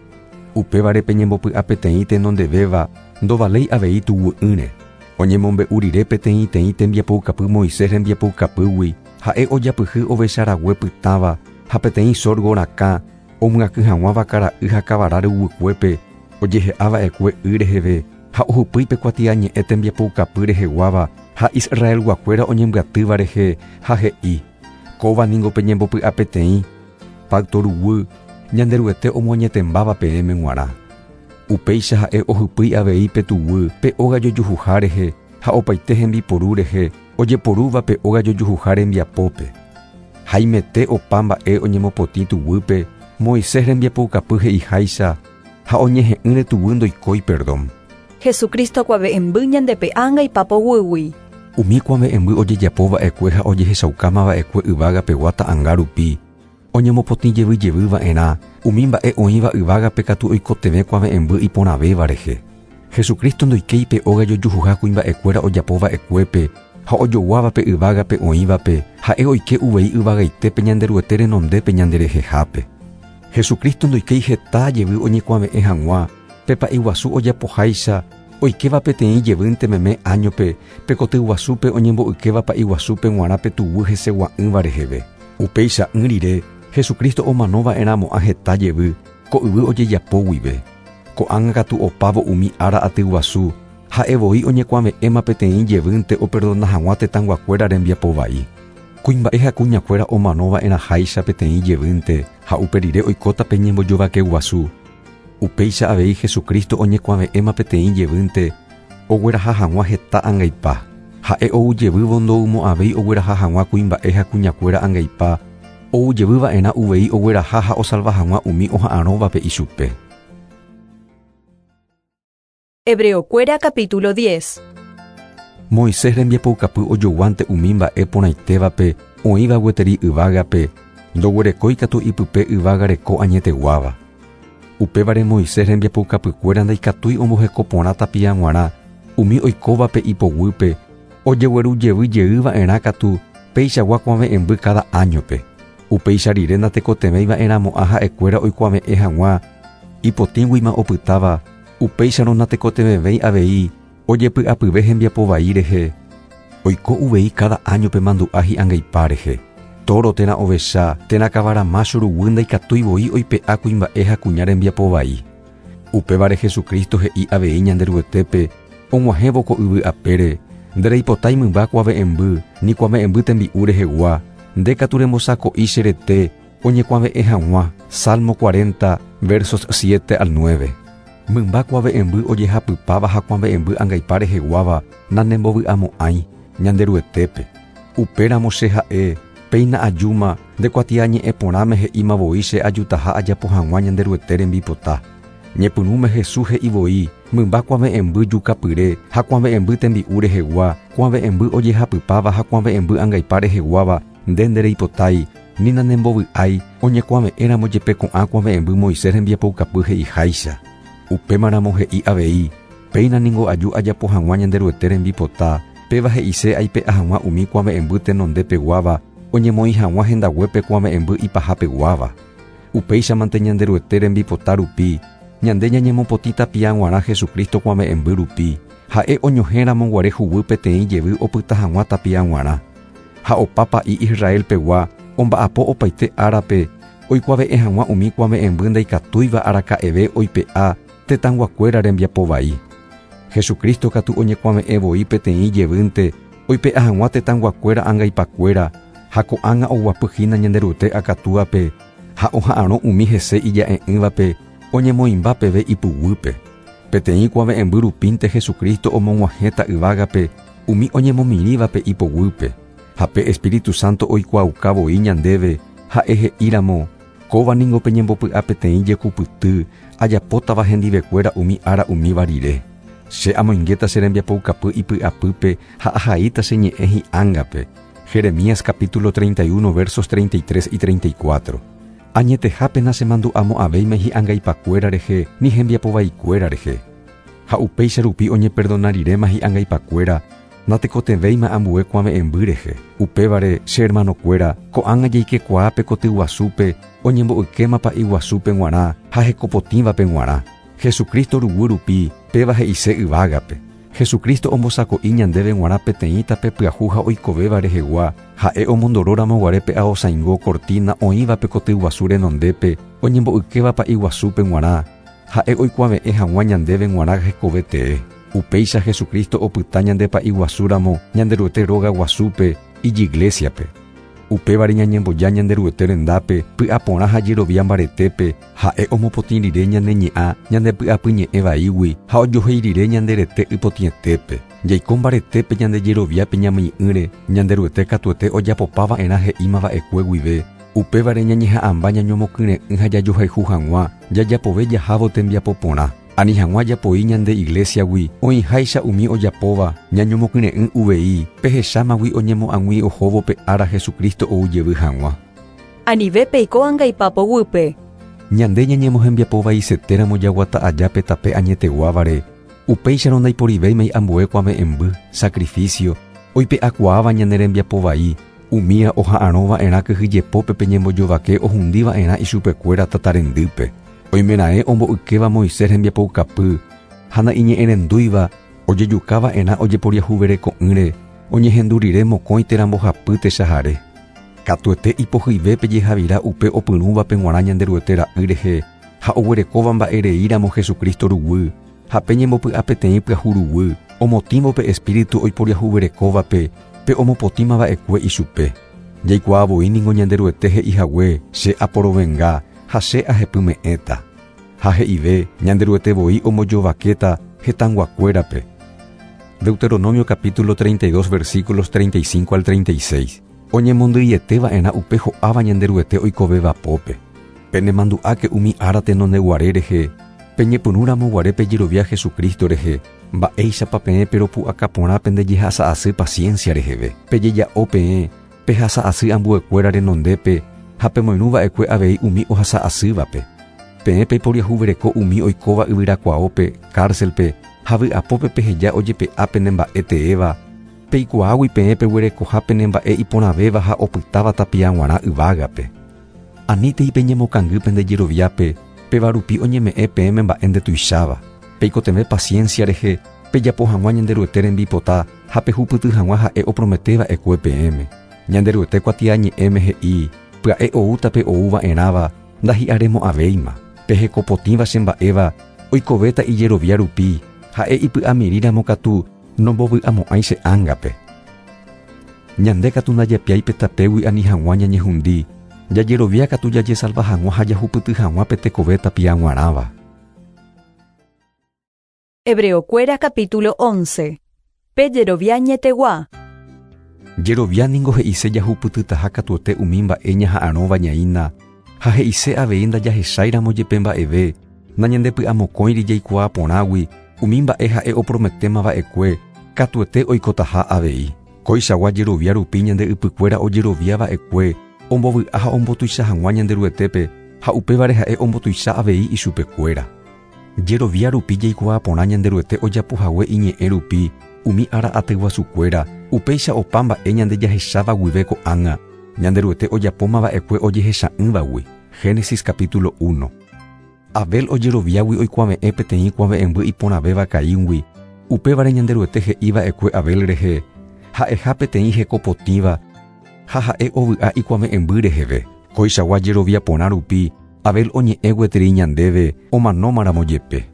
Upévare pe ñembopy'apeteĩ tenondevéva ndovaléi avei tuguy'ỹre. Oñemombe'u rire peteĩteĩ tembiapoukapy Moisés rembiapoukapýgui ha'e ojapyhy ovecharague pytãva ha peteĩ sorgo rakã omyakỹ hag̃ua vakara'y ha kavara ruguykuépe ojehe'ava'ekue y reheve ha ohupýi pe kuatiañe'ẽ tembiapoukapy reheguáva ha Israelguakuéra oñembyatýva rehe ha he'i: Kóva ningo pe ñembopy'apeteĩ pacto ruguy Ñanderuete omoañetembáva peẽme g̃uarã. Upéicha ha'e ohypýi avei pe tuguy pe óga jojuhuha rehe ha opaite hembiporu rehe ojeporúva pe óga jojuhuha rembiapópe. Haimete opa mba'e oñemopotĩ tuguýpe Moisés rembiapoukapy he'iháicha ha oñehe'ỹre tuguy ndoikói perdón. Jesucristo kuave'ẽmby ñandepe'ánga ipapoguýgui. Umi kuave'ẽmby ojejapova'ekue ha ojehechaukámava'ekue yvágapegua ta'ãnga rupi oñemopotĩ jevy jevyva'erã umi mba'e oĩva yvágape katu oikotevẽ kuave'ẽmby iporãvéva rehe. Jesucristo ndoikéi pe óga jojuhuha kuimba'ekuéra ojapova'ekuépe ha ojoguávape yvágape oĩvape ha'e oike uvei yvagaitépe Ñanderuete renondépe ñanderehehápe. Jesucristo ndoikéi heta jevy oñekuave'ẽ hag̃ua pe pa'iguasu ojapoháicha oikéva peteĩ jevýnte meme áñope pe kotyguasúpe oñembo'ykéva pa'iguasúpe g̃uarã pe tuguy hesegua'ỹva reheve. Upéicha'ỹ rire Jesucristo omanova'erãmo'ã heta jevy ko yvy ojejapo guive. Ko'ág̃a katu opávo umi ára aty guasu, ha'e voi oñekuave'ẽma peteĩ jevýnte operdona hag̃ua tetãyguakuéra rembiapo vai. Kuimba'e ha kuñakuéra omanova'erãháicha peteĩ jevýnte ha upe rire oikóta pe ñembojovake guasu. Upéicha avei Jesucristo oñekuave'ẽma peteĩ jevýnte ogueraha hag̃ua heta angaipa. Ha'e oujevývo ndoumo'ãvéi ogueraha hag̃ua kuimba'e ha kuñakuéra angaipa, oujevýva'erã uvei ogueraha ha osalva hag̃ua umi oha'arõvape ichupe. Hebreokuéra capítulo diez. Moisés rembiapoukapy ojoguánte umi mba'e porãitévape oĩva gueteri yvágape, ndoguerekói katu ipype yvága reko añeteguáva. Upévare Moisés rembiapoukapykuéra ndaikatúi omboheko porã tapia g̃uarã umi oikóvape ipoguýpe, ojegueru jevy jeýva'erã katu peichagua kuave'ẽmby cada áñope. Upéicha rire ndatekotevẽiva'erãmo'ã ha'ekuéra oikuave'ẽ hag̃ua ipotĩguima opytáva, upéicharõ ndatekotevẽvéi avei ojepy'apyve hembiapo vai rehe. Oiko uvei cada áñope mandu'a hi'angaipa rehe. Toro térã ovecha térã kavara mácho ruguy ndaikatúi voi oipe'a kuimba'e ha kuña rembiapo vai. Upévare Jesucristo he'i avei Ñanderuetépe og̃uahẽvo ko yvy apére, ndereipotái mymba kuave'ẽmby ni kuave'ẽmby tembi'u rehegua, nde katu rembosako'i che rete oñekuave'ẽ hag̃ua. Salmo cuarenta, versos siete al nueve. Mymba kuave'ẽmby ojehapypáva ha kuave'ẽmby angaipa reheguáva nanembovy'amo'ãi Ñanderuetépe. Upéramo che ha'e péina ajúma nde kuatiañe'ẽ porãme he'íma voi che ajutaha ajapo hag̃ua Ñanderuete rembipota. Ñepyrũme Jesús he'i voi mymba kuave'ẽmby jukapyre ha kuave'ẽmby tembi'u rehegua, kuave'ẽmby ojehapypáva ha kuave'ẽmby angaipa reheguáva nde ndereipotái ni nanembovy'ái oñekuave'ẽramo jepe ko'ã kuave'ẽmby Moisés rembiapoukapy he'iháicha. Upémaramo he'i avei péina ningo aju ajapo hag̃ua Ñanderuete rembipota, péva he'ise aipe'a hag̃ua umi kuave'ẽmby tenondepeguáva oñemoĩ hag̃ua hendaguépe kuave'ẽmby ipahapeguáva. Upéichamante Ñanderuete rembipota rupi, ñande ñañemopotĩ tapia g̃uarã Jesucristo kuave'ẽmby rupi, ha'e oñohẽramo guare huguy peteĩ jevy opyta hag̃ua tapia g̃uarã. Ha opa pa'i Israelpegua omba'apo opaite árape oikuave'ẽ hag̃ua umi kuave'ẽmby ndaikatúiva araka'eve oipe'a tetãyguakuéra rembiapo vai. Jesucristo katu oñekuave'ẽ voi peteĩ jevýnte oipe'a hag̃ua tetãyguakuéra angaipakuéra ha ko'ág̃a oguapyhína Ñanderuete akatúape ha oha'arõ umi hese ija'e'ỹvape oñemoĩmba peve ipuguýpe. Peteĩ kuave'ẽmby rupínte Jesucristo omog̃uahẽta yvágape umi oñemomirĩvape ipoguýpe. Ha pe Espíritu Santo oikuaauka voi ñandéve ha'e he'íramo kóva ningo peñembopy'a peteĩ jekupyty ajapótava hendivekuéra umi ára umíva rire. Che amoingéta che rembiapoukapy ipy'apýpe ha ahaíta che ñe'ẽ hi'ángape. Jeremías capítulo treinta y uno versos treinta y tres y treinta y cuatro. Añetehápe nachemandu'amo'ãvéima hi'angaipakuéra rehe ni hembiapovaikuéra rehe. Ha upéicha rupi oñeperdonarirema hi'angaipakuéra natekotevẽima ambue kuave'ẽmby rehe. Upévare che hermanokuéra ko'ág̃a jaikekuaápe kotyguasúpe oñembo'ykéma pa'i guasúpe g̃uarã ha hekopotĩvape g̃uarã. Jesucristo ruguy rupi péva he'ise yvágape. Jesucristo ombosako'i ñandéve g̃uarã peteĩ tape pyahu ha oikovéva rehegua, ha'e omondoróramo guare pe aosaingo cortina oĩvape kotyguasu renondépe oñembo'ykéva pa'i guasúpe g̃uarã, ha'e oikuave'ẽ hag̃ua ñandéve g̃uarã hekove tee. Upéicha Jesucristo opyta ñande pa'i guasúramo Ñanderuete róga guasúpe ijiglesiape. Upévare ñañemboja Ñanderuete rendápe py'aporã ha jerovia mbaretépe ha'e omopotĩ rire ñane ñe'ã ñande py'apyñe'ẽ vaígui ha ojohéi rire ñande rete ypotĩetépe. Jaiko mbaretépe ñande jeroviápe ñamyi'ỹre Ñanderuete katuete ojapopava'erã he'ímava'ekue guive. Upévare ñañeha'ãmba ñañomokyre'ỹ ha jajohayhu hag̃ua jajapove jahávo tembiapo porã. Ani hag̃ua japoi ñande iglesiagui oĩháicha umi ojapóva ñañomokyre'ỹ uvei pehechámagui oñemo'ag̃ui ohóvo pe ára Jesucristo oujevy hag̃ua. Anive peiko angaipapoguýpe. Ñande ñañemohembiapovaisetéramo jaguata aja pe tape añeteguávare, upéicharõ ndaiporivéimai ambue kuave'ẽmby, sacrificio, oipe'akuaáva ñane rembiapovai, umía oha'arõva'erã kyhyjepópe peñembojovake ohundiva'erã ichupekuéra tatarendýpe. Oimeraẽ ombo'ykéva Moisés rembiapoukapy ha na'iñe'ẽrendúiva ojejukava'erã ojeporiahuvereko'ỹre oñehendu rire mokõi térã mbohapy techahare. Katuete ipohyivépe jehavira upe opyrũvape g̃uarã Ñanderuete ra'y rehe Ha oguerekóva mba'ereíramo Jesucristo ruguy, ha pe ñembopy'a peteĩ pyahu ruguy, omotĩvo pe espíritu oiporiahuverekóvape, pe omopotĩmava'ekue ichupe. Jaikuaa voi ningo Ñanderuete he'ihague che aporovenga ha che ahepyme'ẽta. Ha he'ive Ñanderuete voi ombojovakéta hetãnguakuérape. Deuteronomio capítulo treinta y dos versículos treinta y cinco al treinta y seis. Oñemondyietéva'erã upe ho'áva Ñanderuete oikovéva pópe. Penemandu'áke umi ára tenondeguare rehe, peñepyrũramo pejerovia Jesucristo rehe, mba'éichapa peẽ peropu'aka pende jehasa'asy paciencia reheve. Pejeja'o peẽ, pehasa'asy ambuekuéra renondépe ha pemoirũva'ekue avei umi ohasa'asývape. Peẽ peiporiahuvereko umi oikóva yvyrakuaópe, cárcelpe, ha vy'apópe peheja ojepe'a pene mba'e teéva, peikuaágui peẽ peguerekoha pene mba'e iporãvéva ha opytáva tapia g̃uarã yvágape. Anítei peñemokangy pende jeroviápe, péva rupi oñeme'ẽ peẽme mba'e ndetuicháva. Peikotevẽ paciencia rehe, pejapo hag̃ua Ñanderuete rembipota ha pehupyty hag̃ua ha'e oprometeva'ekue peẽme. Ñanderuete kuatiañe'ẽme he'i, pya'e oúta pe oúva'erãva, ndahi'aremo'ãvéima. Pehekopotĩva che mba'éva, oikovéta ijerovia rupi, ha'e ipy'amirĩramo katu nombovy'amo'ãi che ángape. Ñande katu ndajapiái pe tapégui ani hag̃ua ñañehundi, jajerovia katu jajesalva hag̃ua ha jahupyty hag̃ua pe tekove tapia g̃uarãva. Hebreokuéra capítulo once. Pe jerovia añetegua. Jerovia ningo he'ise jahupytytaha katuete umi mba'e ñaha'arõva ñaína, ha he'ise avei ndajahecháiramo jepe mba'eve, nañandepy'amokõiri jaikuaa porãgui umi mba'e ha'e oprometémava'ekue katuete oikotaha avei. Koichagua jerovia rupi ñande ypykuéra ojeroviava'ekue ombovy'a ha ombotuicha hag̃ua Ñanderuetépe ha upévare ha'e ombotuicha avei ichupekuéra. Jerovia rupi jaikuaa porã Ñanderuete ojapohague iñe'ẽ rupi umi ára atyguasukuéra, upéicha opa mba'e ñande jahecháva guive ko'ág̃a, Ñanderuete ojapómava'ekue ojehecha'ỹvagui. Génesis capítulo uno. Abel ojeroviágui oikuave'ẽ peteĩ kuave'ẽmby iporãvéva Caíngui, upévare Ñanderuete he'iva'ekue Abel rehe, ha'eha peteĩ hekopotĩva ha ha'e ovy'a ikuave'ẽmby reheve. Koichagua jerovia porã rupi, Abel oñe'ẽ gueteri ñandéve omanómaramo jepe.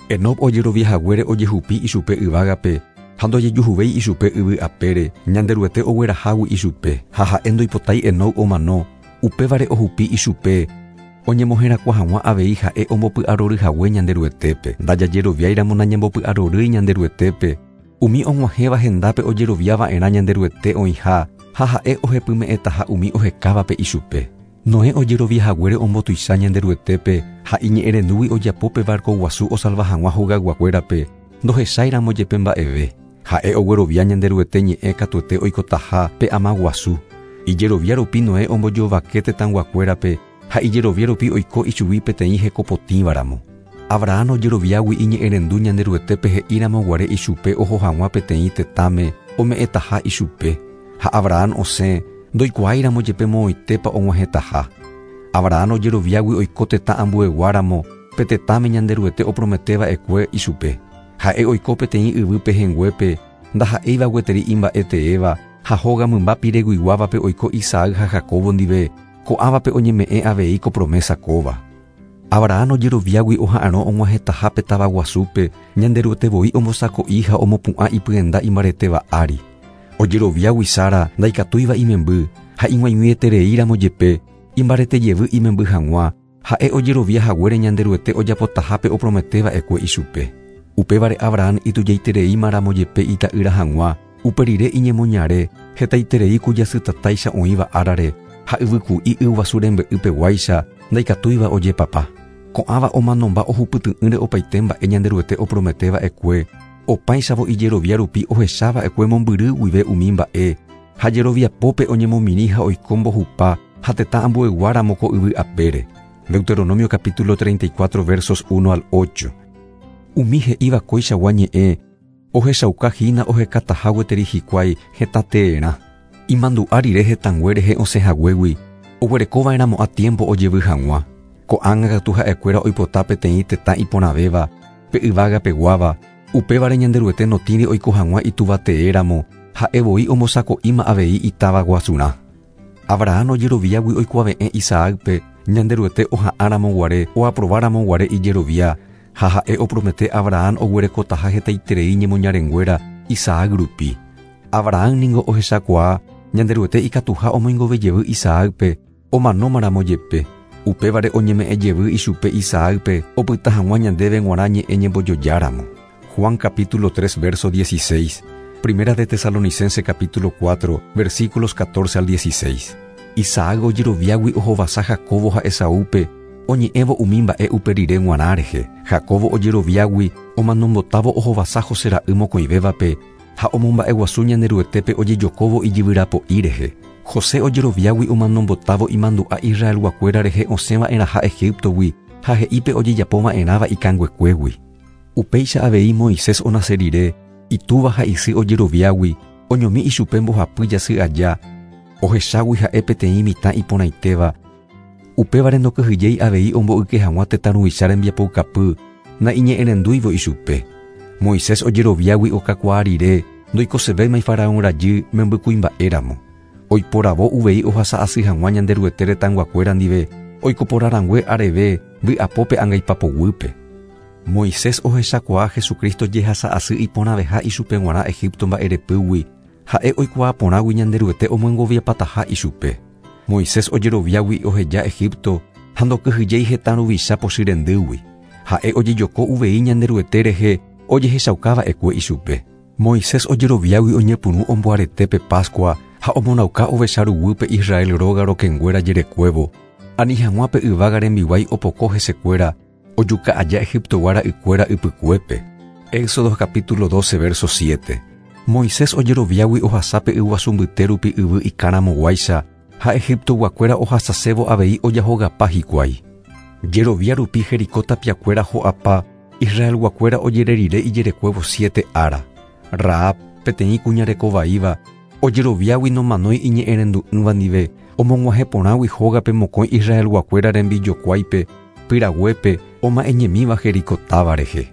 Enoc ojeroviahaguére ojehupi ichupe yvágape ha ndojejuhuvéi ichupe yvy apére, Ñanderuete oguerahágui ichupe, ha ha'e ndoipotái Enoc omano, upévare ohupi ichupe, oñemoherakuã hag̃ua avei ha'e ombopy'aroryhague Ñanderuetépe. Ndajajeroviáiramo nañambopy'arorýi Ñanderuetépe, umi og̃uahẽva hendápe ojeroviava'erã Ñanderuete oĩha ha ha'e ohepyme'ẽtaha umi ohekávape ichupe. Noé ojeroviahaguére ombotuicha Ñanderuetépe ha iñe'ẽrendúgui ojapo pe barco guasu osalva hag̃ua hogayguakuérape, ndohecháiramo jepe mba'eve. Ha'e oguerovia Ñanderuete ñe'ẽ katuete oikotaha pe ama guasu. Ijerovia rupi Noé ombojovake tetãnguakuérape ha ijerovia rupi oiko ichugui peteĩ hekopotĩvaramo. Abraham ojeroviágui iñe'ẽrendu Ñanderuetépe he'íramo guare ichupe oho hag̃ua peteĩ tetãme ome'ẽtaha ichupe. Ha Abraham osẽ ndoikuaáiramo jepe moõitépa og̃uahẽtaha. Abraham ojeroviágui oiko tetã ambueguáramo pe tetãme Ñanderuete oprometeva'ekue ichupe. Ha'e oiko peteĩ yvy pehẽnguépe ndaha'éiva gueteri imba'e teéva ha hóga mymba pireguiguávape oiko Isaac ha Jacobo ndive, ko'ãvape oñeme'ẽ avei ko promesa kóva. Abraham ojeroviágui oha'arõ og̃uahẽtaha pe táva guasúpe, Ñanderuete voi ombosako'i ha omopu'ã ipyenda imbaretéva ári. Ojeroviágui Sara ndaikatúiva imemby ha ig̃uaig̃uietereíramo jepe, imbarete jevy imemby hag̃ua, ha'e ojerovia haguére Ñanderuete ojapotahápe oprometeva'ekue ichupe. Upévare Abraham itujaitereímaramo jepe ita'ýra hag̃ua, uperire iñemoñare hetaiterei kujasytatáicha oĩva árare ha yvyku'i yguasu rembe'ypeguáicha ndaikatúiva ojepapa. Ko'ãva omanomba ohupyty'ỹre opaite mba'e Ñanderuete oprometeva'ekue, opáichavo ijerovia rupi ohechava'ekue mombyry guive umi mba'e, ha jeroviapópe oñemomirĩ ha oiko mbohupa ha tetã ambueguáramo ko yvy apére. Deuteronomio capítulo treinta y cuatro versos uno al ocho. Umi he'íva koichagua ñe'ẽ ohechauka hína ohekataha gueteri hikuái hetateerã. Imandu'a rire hetãngue rehe osẽhaguégui, oguerekova'erãmo'ã tiempo ojevy hag̃ua. Ko'ág̃a katu ha'ekuéra oipota peteĩ tetã iporãvéva, pe yvágapeguáva, upévare Ñanderuete notĩri oiko hag̃ua ituvateéramo, ha'e voi ombosako'íma avei itáva guasurã. Abraham ojeroviágui oikuave'ẽ Isaacpe, Ñanderuete oha'ãramo guare oaprobáramo guare ijerovia ha ha'e opromete Abraham oguerekotaha hetaiterei ñemoñarenguéra Isaac rupi. Abraham ningo ohechakuaa Ñanderuete ikatuha omoingovejevy Isaacpe omanómaramo jepe. Upévare oñeme'ẽjevy ichupe Isaacpe opyta hag̃ua ñandéve g̃uarã ñe'ẽ ñembojojáramo. Juan capítulo tres verso dieciséis, Primera de Tesalonicense capítulo cuatro, versículos catorce al dieciséis. Isaac ojeroviágui ohovasa Jacobo ha Esaúpe oñe'ẽvo umi mba'e uperire g̃uarã rehe. Jacobo ojeroviágui omanombotávo ohovasa José ra'y mokõivévape ha omomba'eguasu Ñanderuetépe ojejokóvo ijyvyrapo'i rehe. José ojeroviágui omanombotávo imandu'a Israelguakuéra rehe osẽva'erãha Egiptogui ha he'ípe ojejapova'erãva ikanguekuégui. Upéicha avei Moisés onase rire itúva ha isy ojeroviágui oñomi ichupe mbohapy jasy aja ohechágui ha'e peteĩ mitã iporãitéva. Upévare ndokyhyjéi avei omboyke hag̃ua tetã ruvicha rembiapoukapy naiñe'ẽrendúivo ichupe. Moisés ojeroviágui okakuaa rire ndoikosevéima faraón rajy membykuimba'éramo. Oiporavo uvei ohasa asy hag̃ua Ñanderuete retãyguakuéra ndive oikoporãrangue areve vy'apópe angaipapoguýpe. Moisés ohechakuaa Jesucristo jehasa asy iporãveha ichupe g̃uarã Egipto mba'erepýgui ha'e oikuaa porãgui Ñanderuete omoengoviapataha ichupe. Moisés ojeroviágui oheja Egipto ha ndokyhyjéi hetã ruvicha pochyrendýgui. Ha'e ojejoko uvei Ñanderuete rehe ojehechaukava'ekue ichupe. Moisés ojeroviágui oñepyrũ omboaretépe Pascua ha omonauka ovecha ruguýpe Israel róga rokẽnguéra jerekuévo. Ani hag̃ua pe yvága rembiguái opoko hesekuéra ojuka aja Egiptogua ra'ykuéra ypykuépe. Éxodo capítulo doce verso siete. Moisés ojeroviágui ohasápe yguasu mbyte rupi yvy ikãramoguáicha ha Egiptoguakuéra ohasasévo avei ojahogapa hikuái. Jerovia rupi Jericó tapiakuéra ho'apa Israelguakuéra ojererire ijerekuévo siete ára. Rahab peteĩ kuña rekovaíva ojeroviágui nomanói iñe'ẽrendu'ỹva ndive omog̃uahẽporãgui hógape mokõi Israelguakuéra rembijokuáipe pyraguépe oma'ẽñemíva Jericó táva rehe.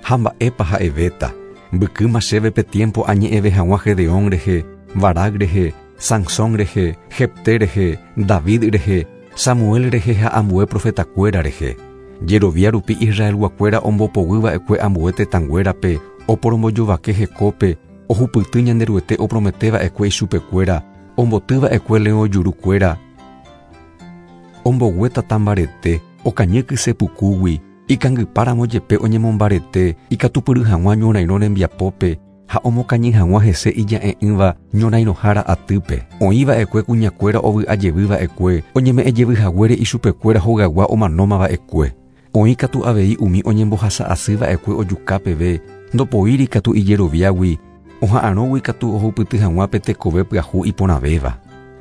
Ha mba'épa ha'evéta mbykýma chéve pe tiempo añe'ẽve hag̃ua Gedeón rehe, Barak rehe, Sansón rehe, Jefté rehe, David rehe, Samuel rehe ha ambue profetakuéra rehe. Jerovia rupi Israelguakuéra ombopoguýva'ekue ambue tetãnguérape oporombojovake hekópe ohupyty Ñanderuete oprometeva'ekue ichupekuéra ombotýva'ekue leõ jurukuéra ombogue tatambarete okañy kysepukúgui ikangypáramo jepe oñemombarete ikatupyry hag̃ua ñorairõ rembiapópe ha omokañy hag̃ua hese ija'e'ỹva ñorairõhára atýpe. Oĩva'ekue kuñakuéra ovy'ajevyva'ekue oñeme'ẽjevyhaguére ichupekuéra hogagua omanómava'ekue. Oĩ katu avei umi oñembohasa'asýva'ekue ojuka peve ndopoíri katu ijeroviágui oha'arõgui katu ohupyty hag̃ua pe tekove pyahu iporãvéva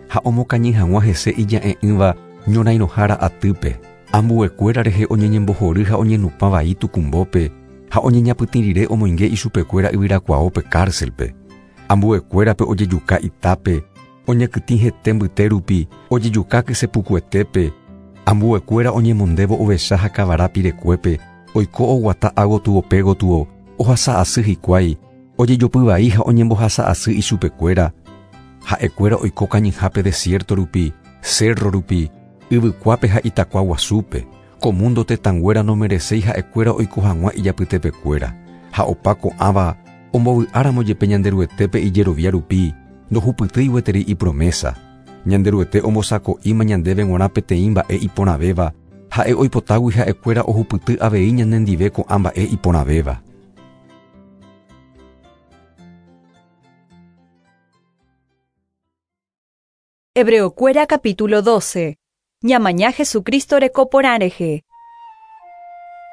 ha omokañy hag̃ua hese ija'e'ỹva ñorairõhára atýpe. Ambuekuéra rehe oñeñembohory ha oñenupã vai tukumbópe ha oñeñapytĩ rire omoinge ichupekuéra yvyrakuaópe cárcelpe. Ambuekuérape ojejuka itápe, oñekytĩ hete mbyte rupi, ojejuka kysepukuetépe. Ambuekuéra oñemondévo ovecha ha kavara pirekuépe, oiko oguata ágotyo pégotyo, ohasa'asy hikuái, ojejopyvai ha oñembohasa'asy ichupekuéra. Ha'ekuéra oiko kañyhápe desierto rupi, cerro rupi, yvykuápe ha itakua guasúpe. Ko mundo tetãnguéra nomereséi ha'ekuéra oiko hag̃ua ijapytepekuéra. Ha opa ko'ãva ombovy'áramo jepe Ñanderuetépe ijerovia rupi, ndohupytýi gueteri ipromesa. Ñanderuete ombosako'íma ñandéve g̃uarã peteĩ mba'e iporãvéva, ha'e oipotágui ha'ekuéra ohupyty avei ñanendive ko'ã mba'e iporãvéva. Hebreokuéra capítulo doce. Ñamaña Jesucristo rekoporã rehe.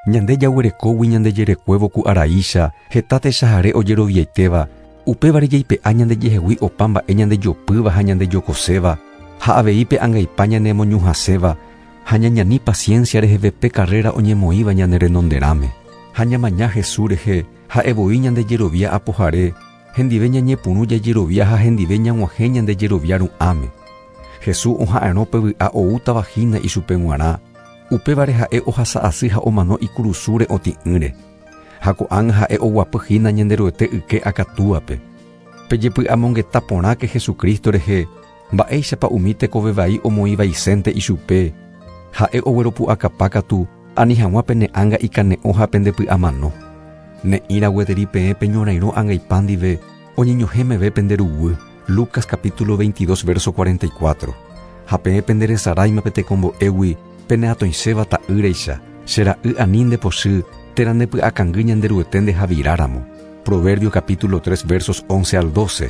Ñande jaguerekógui ñandejerekuévo ku araícha heta techahare ojeroviaitéva upévare jaipe'a ñandejehegui opa mba'e ñandejopýva ha ñandejokoséva ha avei pe angaipa ñanemoñuhãséva ha ñañani paciencia reheve pe carrera oñemoĩva ñane renonderãme. Ha ñamaña Jesús rehe ha'evoi ñandejerovia apohare hendive ñañepyrũ jajerovia ha hendive ñag̃uahẽ ñandejerovia ru'ãme. Jesús oha'arõ pe vy'a oútava hína ichupe g̃uarã upévare ha'e ohasa'asy ha omano ikurusúre otĩ'ỹre. Ha ko'ág̃a ha'e oguapy hína Ñanderuete yke akatúape. Pejepy'amongeta porãke Jesucristo rehe mba'éichapa umi tekovevai omoĩvaisénte ichupe Ha'e ogueropu'akapa katu ani hag̃ua pene ánga ikane'õ ha pendepy'amano. Ne'ĩra gueteri peẽ peñorairõ angaipa ndive oñeñohẽ meve pende ruguy. Lucas capítulo veintidós verso cuarenta y cuatro. Ha peẽ penderesaráima pe tekombo'égui peneatõiséva ta'ýraicha, che ra'y ani ndepochy térã ndepy'akangy Ñanderuete ndehaviráramo. Proverbio capítulo tres versos once al doce.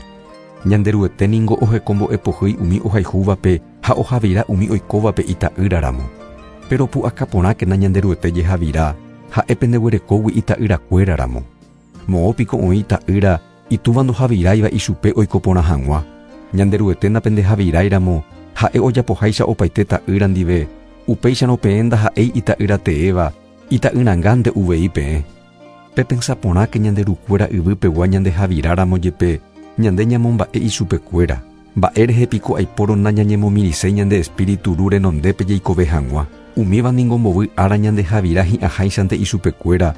Ñanderuete ningo ohekombo'epohýi umi ohayhúvape ha ohavira umi oikóvape ita'ýraramo. Pero pu'akaporãkena Ñanderuete jehavira ha'e pendeguerekógui ita'yrakuéraramo. Moõpiko oĩ ta'ýra itúva ndohaviráiva ichupe oikoporã hag̃ua. Ñanderuete napendehaviráiramo ha'e ojapoháicha opaite ta'ýra ndive, upéicharõ peẽ ndaha'éi ita'ýra teéva, ita'yrãngánte uvei peẽ. Pepensaporãke Ñanderukuéra yvypegua ñandehaviráramo jepe, ñande ñamomba'e ichupekuéra. Mba'érehe piko aipóro nañañemomirĩséi ñande espíritu ru renondépe jaikove hag̃ua. Umíva ningo mbovy ára ñandehavira hi'ãháichante ichupekuéra.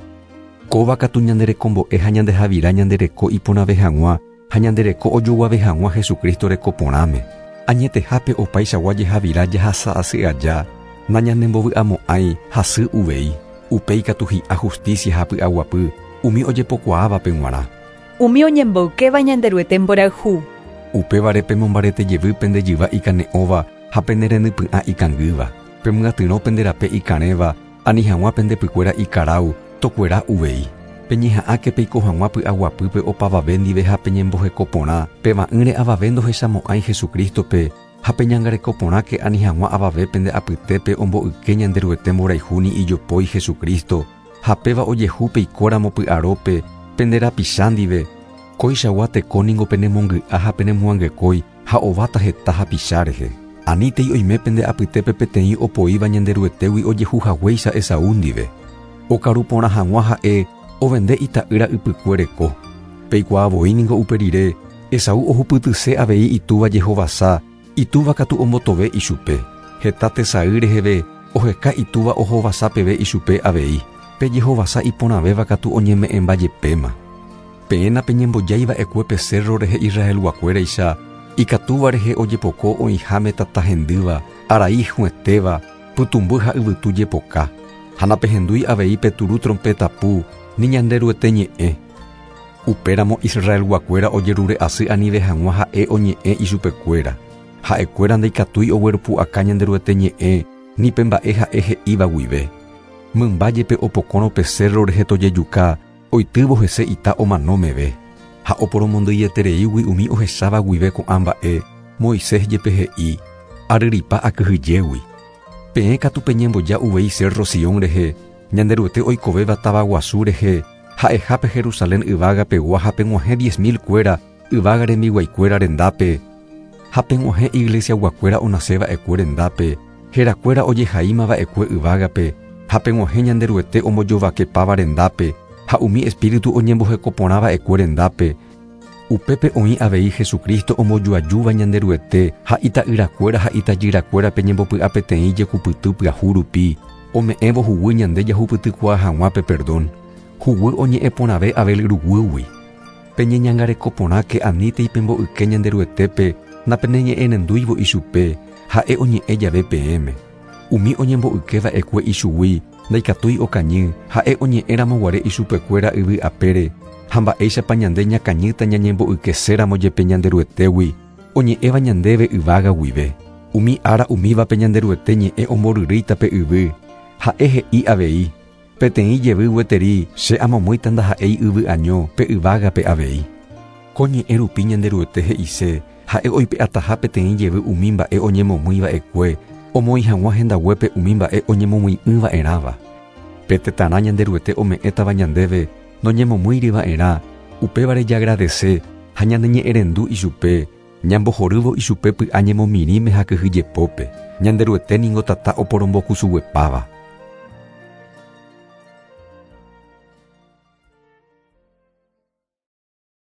Kóva katu ñanderekombo'e ha ñandehavira ñandereko iporãve hag̃ua ha ñandereko ojoguave hag̃ua Jesucristo rekoporãme. Añetehápe opaichagua jehavira jahasa asy aja, nañanembovy'amo'ãi hasy uvei. Upéi katu hi'a justicia ha py'aguapy umi ojepokuaávape g̃uarã. Umi oñemboykéva Ñanderuete mborayhu. Upévare pemombarete jevy pende jyva ikane'õva ha pene renypy'ã ikangýva. Pemyatyrõ pende rape ikarẽva ani hag̃ua pendepykuéra ikarau tokuera uvei. Peñeha'ãke peiko hag̃ua py'aguapýpe opavave ndive ha peñembohekoporã peva'ỹre avave ndohechamo'ãi Jesucristo-pe ha peñangarekoporãke ani hag̃ua avave pende apytépe omboyke Ñanderuete mborayhu ni ijopói Jesucristo ha péva ojehu peikóramo py'arópe pende rapicha ndive. Kóichagua teko ningo penemongy'a ha penemoangekói ha ováta heta hapicha rehe. Anítei oime pende apytépe peteĩ opoíva Ñanderuetégui ojehu haguéicha Esaú ndive. Okaruporã hag̃ua ha'e ovende ita'ýra ypykuereko. Peikuaa voi ningo upe rire, Esaú ohupytyse avei itúva jehovasa, itúva katu ombotove ichupe. Heta tesay reheve oheka itúva ohovasa peve ichupe avei. Pe jehovasa iporãvéva katu oñeme'ẽmbajepéma. Peẽ napeñembojáiva'ekue pe cerro rehe Israelguakuéraicha, ikatúva rehe ojepoko oĩháme tata hendýva, arai hũetéva, pytũmby ha yvytu jepoka. Ha napehendúi avei pe turu trompetapu ni Ñanderuete ñe'ẽ. Upéramo Israelguakuéra ojerure asy anive hag̃ua ha'e oñe'ẽ ichupekuéra. Ha'ekuéra ndaikatúi ogueropu'aka Ñanderuete ñe'ẽ ni pe mba'e ha'e he'íva guive. Mymba jepe opokórõ pe cerro rehe tojejuka, oitývo hese ita omano meve. Ha oporomondýietereígui umi ohecháva guive ko'ã mba'e, Moisés jepe he'i, aryrypa akyhyjégui. Peẽ katu peñemboja uvei cerro Sion rehe, Ñanderuete oikovéva tavaguasu rehe, ha'ehápe Jerusalén yvágapegua ha peg̃uahẽ diez mil kuéra yvága rembiguaikuéra rendápe, ha peg̃uahẽ iglesiaguakuéra onaseva'ekue rendápe, herakuéra ojehaímava'ekue yvágape, ha peg̃uahẽ Ñanderuete ombojovakepáva rendápe, ha umi espíritu oñembohekoporãva'ekue rendápe. Upépe oĩ avei Jesucristo ombojoajúva Ñanderuete ha ita'yrakuéra ha itajyrakuéra peñembopy'a peteĩ jekupyty pyahu rupi, ome'ẽvo huguy ñande jahupytykuaa hag̃ua pe perdón. Huguy oñe'ẽporãve Abel ruguýgui. Peñeñangarekoporãke anítei pemboyke Ñanderuetépe napeneñe'ẽrendúivo ichupe, ha'e oñe'ẽ jave peẽme. Umi oñemboykéva'ekue ichugui ndaikatúi okañy, ha'e oñe'ẽramoguare ichupekuéra yvy apére, ha mba'éichapa ñande ñakañýta ñañemboykeséramo jepe Ñanderuetégui, oñe'ẽva ñandéve yvága guive. Umi ára umívape Ñanderuete ñe'ẽ omboryrýita pe yvy, ha'e he'i avei, peteĩ jevy gueteri che amomýita ndaha'éi yvy año pe yvágape avei. Ko ñe'ẽ rupi Ñanderuete he'ise, ha'e oipe'ataha peteĩ jevy umi mba'e oñemomýiva'ekue, omoĩ hag̃ua hendaguépe umi mba'e oñemomyi'ỹva'erãva. Pe tetãrã Ñanderuete ome'ẽtava ñandéve noñemomýiriva'erã, upévare jagradese ha ñaneñe'ẽrendu ichupe, ñambohorývo ichupe py'a ñemomirĩme ha kyhyjepópe. Ñanderuete ningo tata oporombokusuguepáva.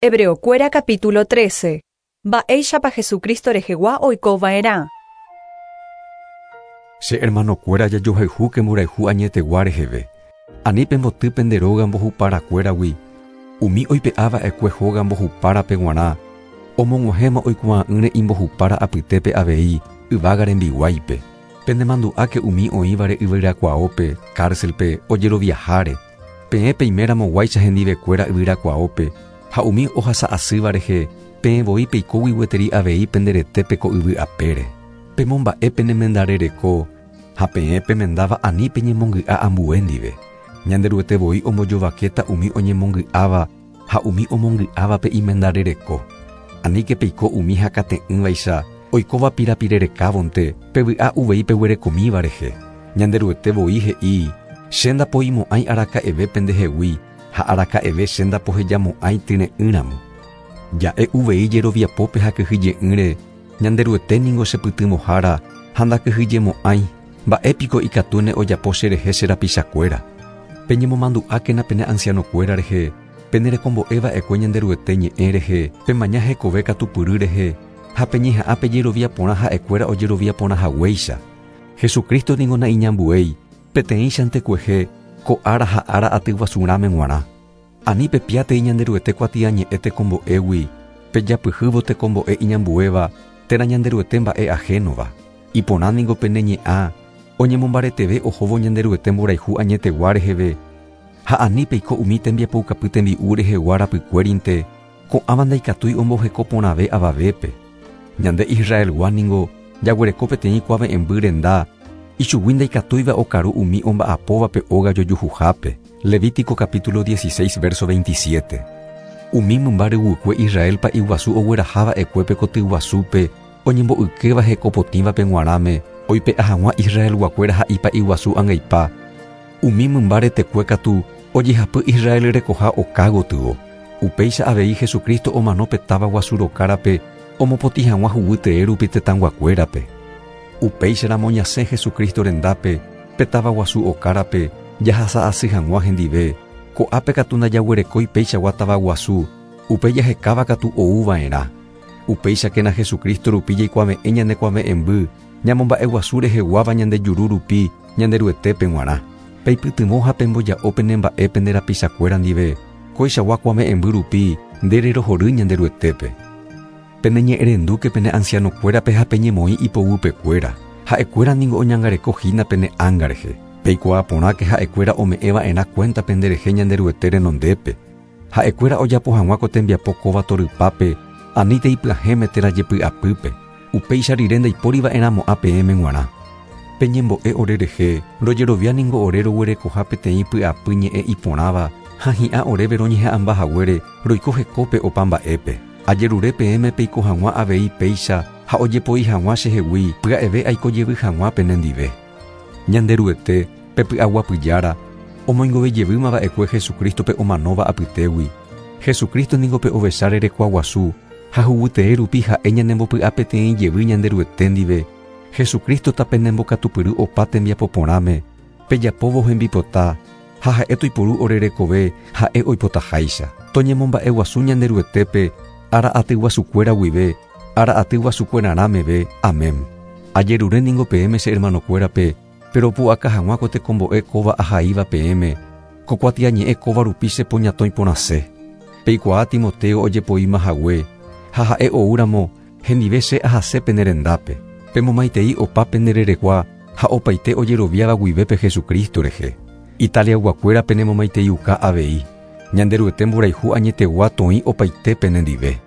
Hebreokuéra capítulo trece. Mba'éichapa Jesucristo rehegua oikova'erã. Che hermanokuéra jajohayhúke mborayhu añetegua reheve. Ani pemboty pende róga mbohuparakuéragui. Umi oipe'áva'ekue hóga mbohupárape g̃uarã, omog̃uahẽma oikuaa'ỹre imbohupára apytépe avei yvága rembiguáipe. Penemandu'áke umi oĩvare yvyrakuaópe, cárcelpe, ojeroviaháre. Peẽ peimeramoguáicha hendivekuéra yvyrakuaópe, ha umi ohasa'asýva rehe, peẽ voi peikógui gueteri avei penderetépe ko yvy apére. Pemomba'e penemendarereko, ha peẽ pemendáva ani peñemongy'a ambue ndive. Ñanderuete voi ombojovakéta umi oñemongy'áva ha umi omongy'ávape imendarereko. Aníke peiko umi hakate'ỹvaicha, oikóva pirapirerekávonte, pevy'a uvei peguerekomíva rehe. Ñanderuete voi he'i, che ndapoimo'ãi araka'eve pendehegui, ha araka'eve che ndapohejamo'ãi tyre'ỹramo. Ja'e uvei jeroviapópe ha kyhyje'ỹre, Ñanderuete ningo chepytyvõhára ha ndakyhyjemo'ãi, mba'épiko ikatúne ojapo cherehe che rapichakuéra. Peñemomandu'ákena pene ancianokuéra rehe, penerekombo'eva'ekue Ñanderuete ñe'ẽ rehe, pemaña hekove katupyry rehe, ha peñeha'ã pejerovia porã ha'ekuéra ojerovia porã haguéicha. Jesucristo ningo naiñambuéi, peteĩchante kuehe, ko ára ha ára atyguasurãme g̃uarã. Ani pepiátei Ñanderuete kuatiañe'ẽ tekombo'égui, pejapyhývo tekombo'e iñambuéva, térã Ñanderuete mba'e ajénova. Iporã ningo pene ñe'ã, oñemombareteve ohóvo Ñanderuete mborayhu añetegua reheve, ha ani peiko umi tembiapoukapy tembi'u rehegua rapykuérinte, ko'ãva ndaikatúi omboheko porãve avavépe. Ñande Israelgua ningo jaguereko peteĩ kuave'ẽmby renda, ichugui ndaikatúiva okaru umi omba'apóvape óga jojuhuhápe. Levítico capítulo dieciséis verso veintisiete. Umi mymba ryguykue Israelpa iguasu ogueraháva'ekuépe kotyguasúpe, oñembo'ykéva hekopotĩvape g̃uarãme, oipe'a hag̃ua Israelguakuéra ha ipa iguasu angaipa. Umi mymba retekue katu ojehapy Israel rekoha oka gotyo. Upéicha avei Jesucristo omano pe táva guasu rokárape, omopotĩ hag̃ua huguy tee rupi tetãguakuérape. Upéicharamo ñasẽ Jesucristo rendápe, pe táva guasu okárape, jahasa'asy hag̃ua hendive, ko'ápe katu ndajaguerekói péichagua táva guasu, upe jahekáva katu ouva'erã. Upéichakena Jesucristo rupi jaikuave'ẽ ñanekuave'ẽmby, ñamomba'eguasu reheguáva ñande juru rupi Ñanderuetépe g̃uarã. Peipytyvõ ha pemboja'o penemba'e pende rapichakuéra ndive, kóichagua kuave'ẽmby rupi ndererohory Ñanderuetépe. Peneñe'ẽrendúke pene ancianokuérape ha peñemoĩ ipoguýpekuéra. Ha'ekuéra ningo oñangareko hína pene ánga rehe. Peikuaa porãke ha'ekuéra ome'ẽva'erã cuenta penderehe Ñanderuete renondépe. Ha'ekuéra ojapo hag̃ua ko tembiapo kóva torypápe, anítei pyahẽme térã jepy'apýpe. Upéicha rire ndaipóriva'erãmo'ã peẽme g̃uarã. Peñembo'e ore rehe, rojerovia ningo ore roguerekoha peteĩ py'apy ñe'ẽ iporãva, ha hi'ã oréve roñeha'ãmba haguére roiko hekópe opa mba'épe. Ajerure peẽme peiko hag̃ua avei péicha ha ojepoi hag̃ua chehegui pya'eve aikojevy hag̃ua penendive. Ñanderuete, pe py'aguapyjára, omoingovejevýmava'ekue Jesucristope omanóva apytégui. Jesucristo ningo pe ovecha rerekua guasu, ha huguytee rupi ha'e ñanembopy'a peteĩ jevy Ñanderuete ndive. Jesucristo tapenembokatupyry opa tembiapo porãme, pejapóvo hembipota, ha ha'e toiporu ore rekove ha'e oipotaháicha. Toñemomba'eguasu Ñanderuetépe, ára atyguasukuéra guive, ára atyguasukuerarãmeve. Amén. Ajerure ningo peẽme che hermanokuérape, pero pu'aka hag̃ua ko tekombo'e kóva ahaíva peẽme, ko kuatiañe'ẽ kóva rupi chepoñatõi porãse. Peikuaa Timoteo ojepoíma hague, ha ha'e oúramo hendive che ahase pene rendápe. Pemomaitei opa pendererekua ha opaite ojeroviáva guivépe Jesucristo rehe. Italiaguakuéra penemomaiteiuka avei. Ñanderuete mborayhu añetegua toĩ opaite penendive.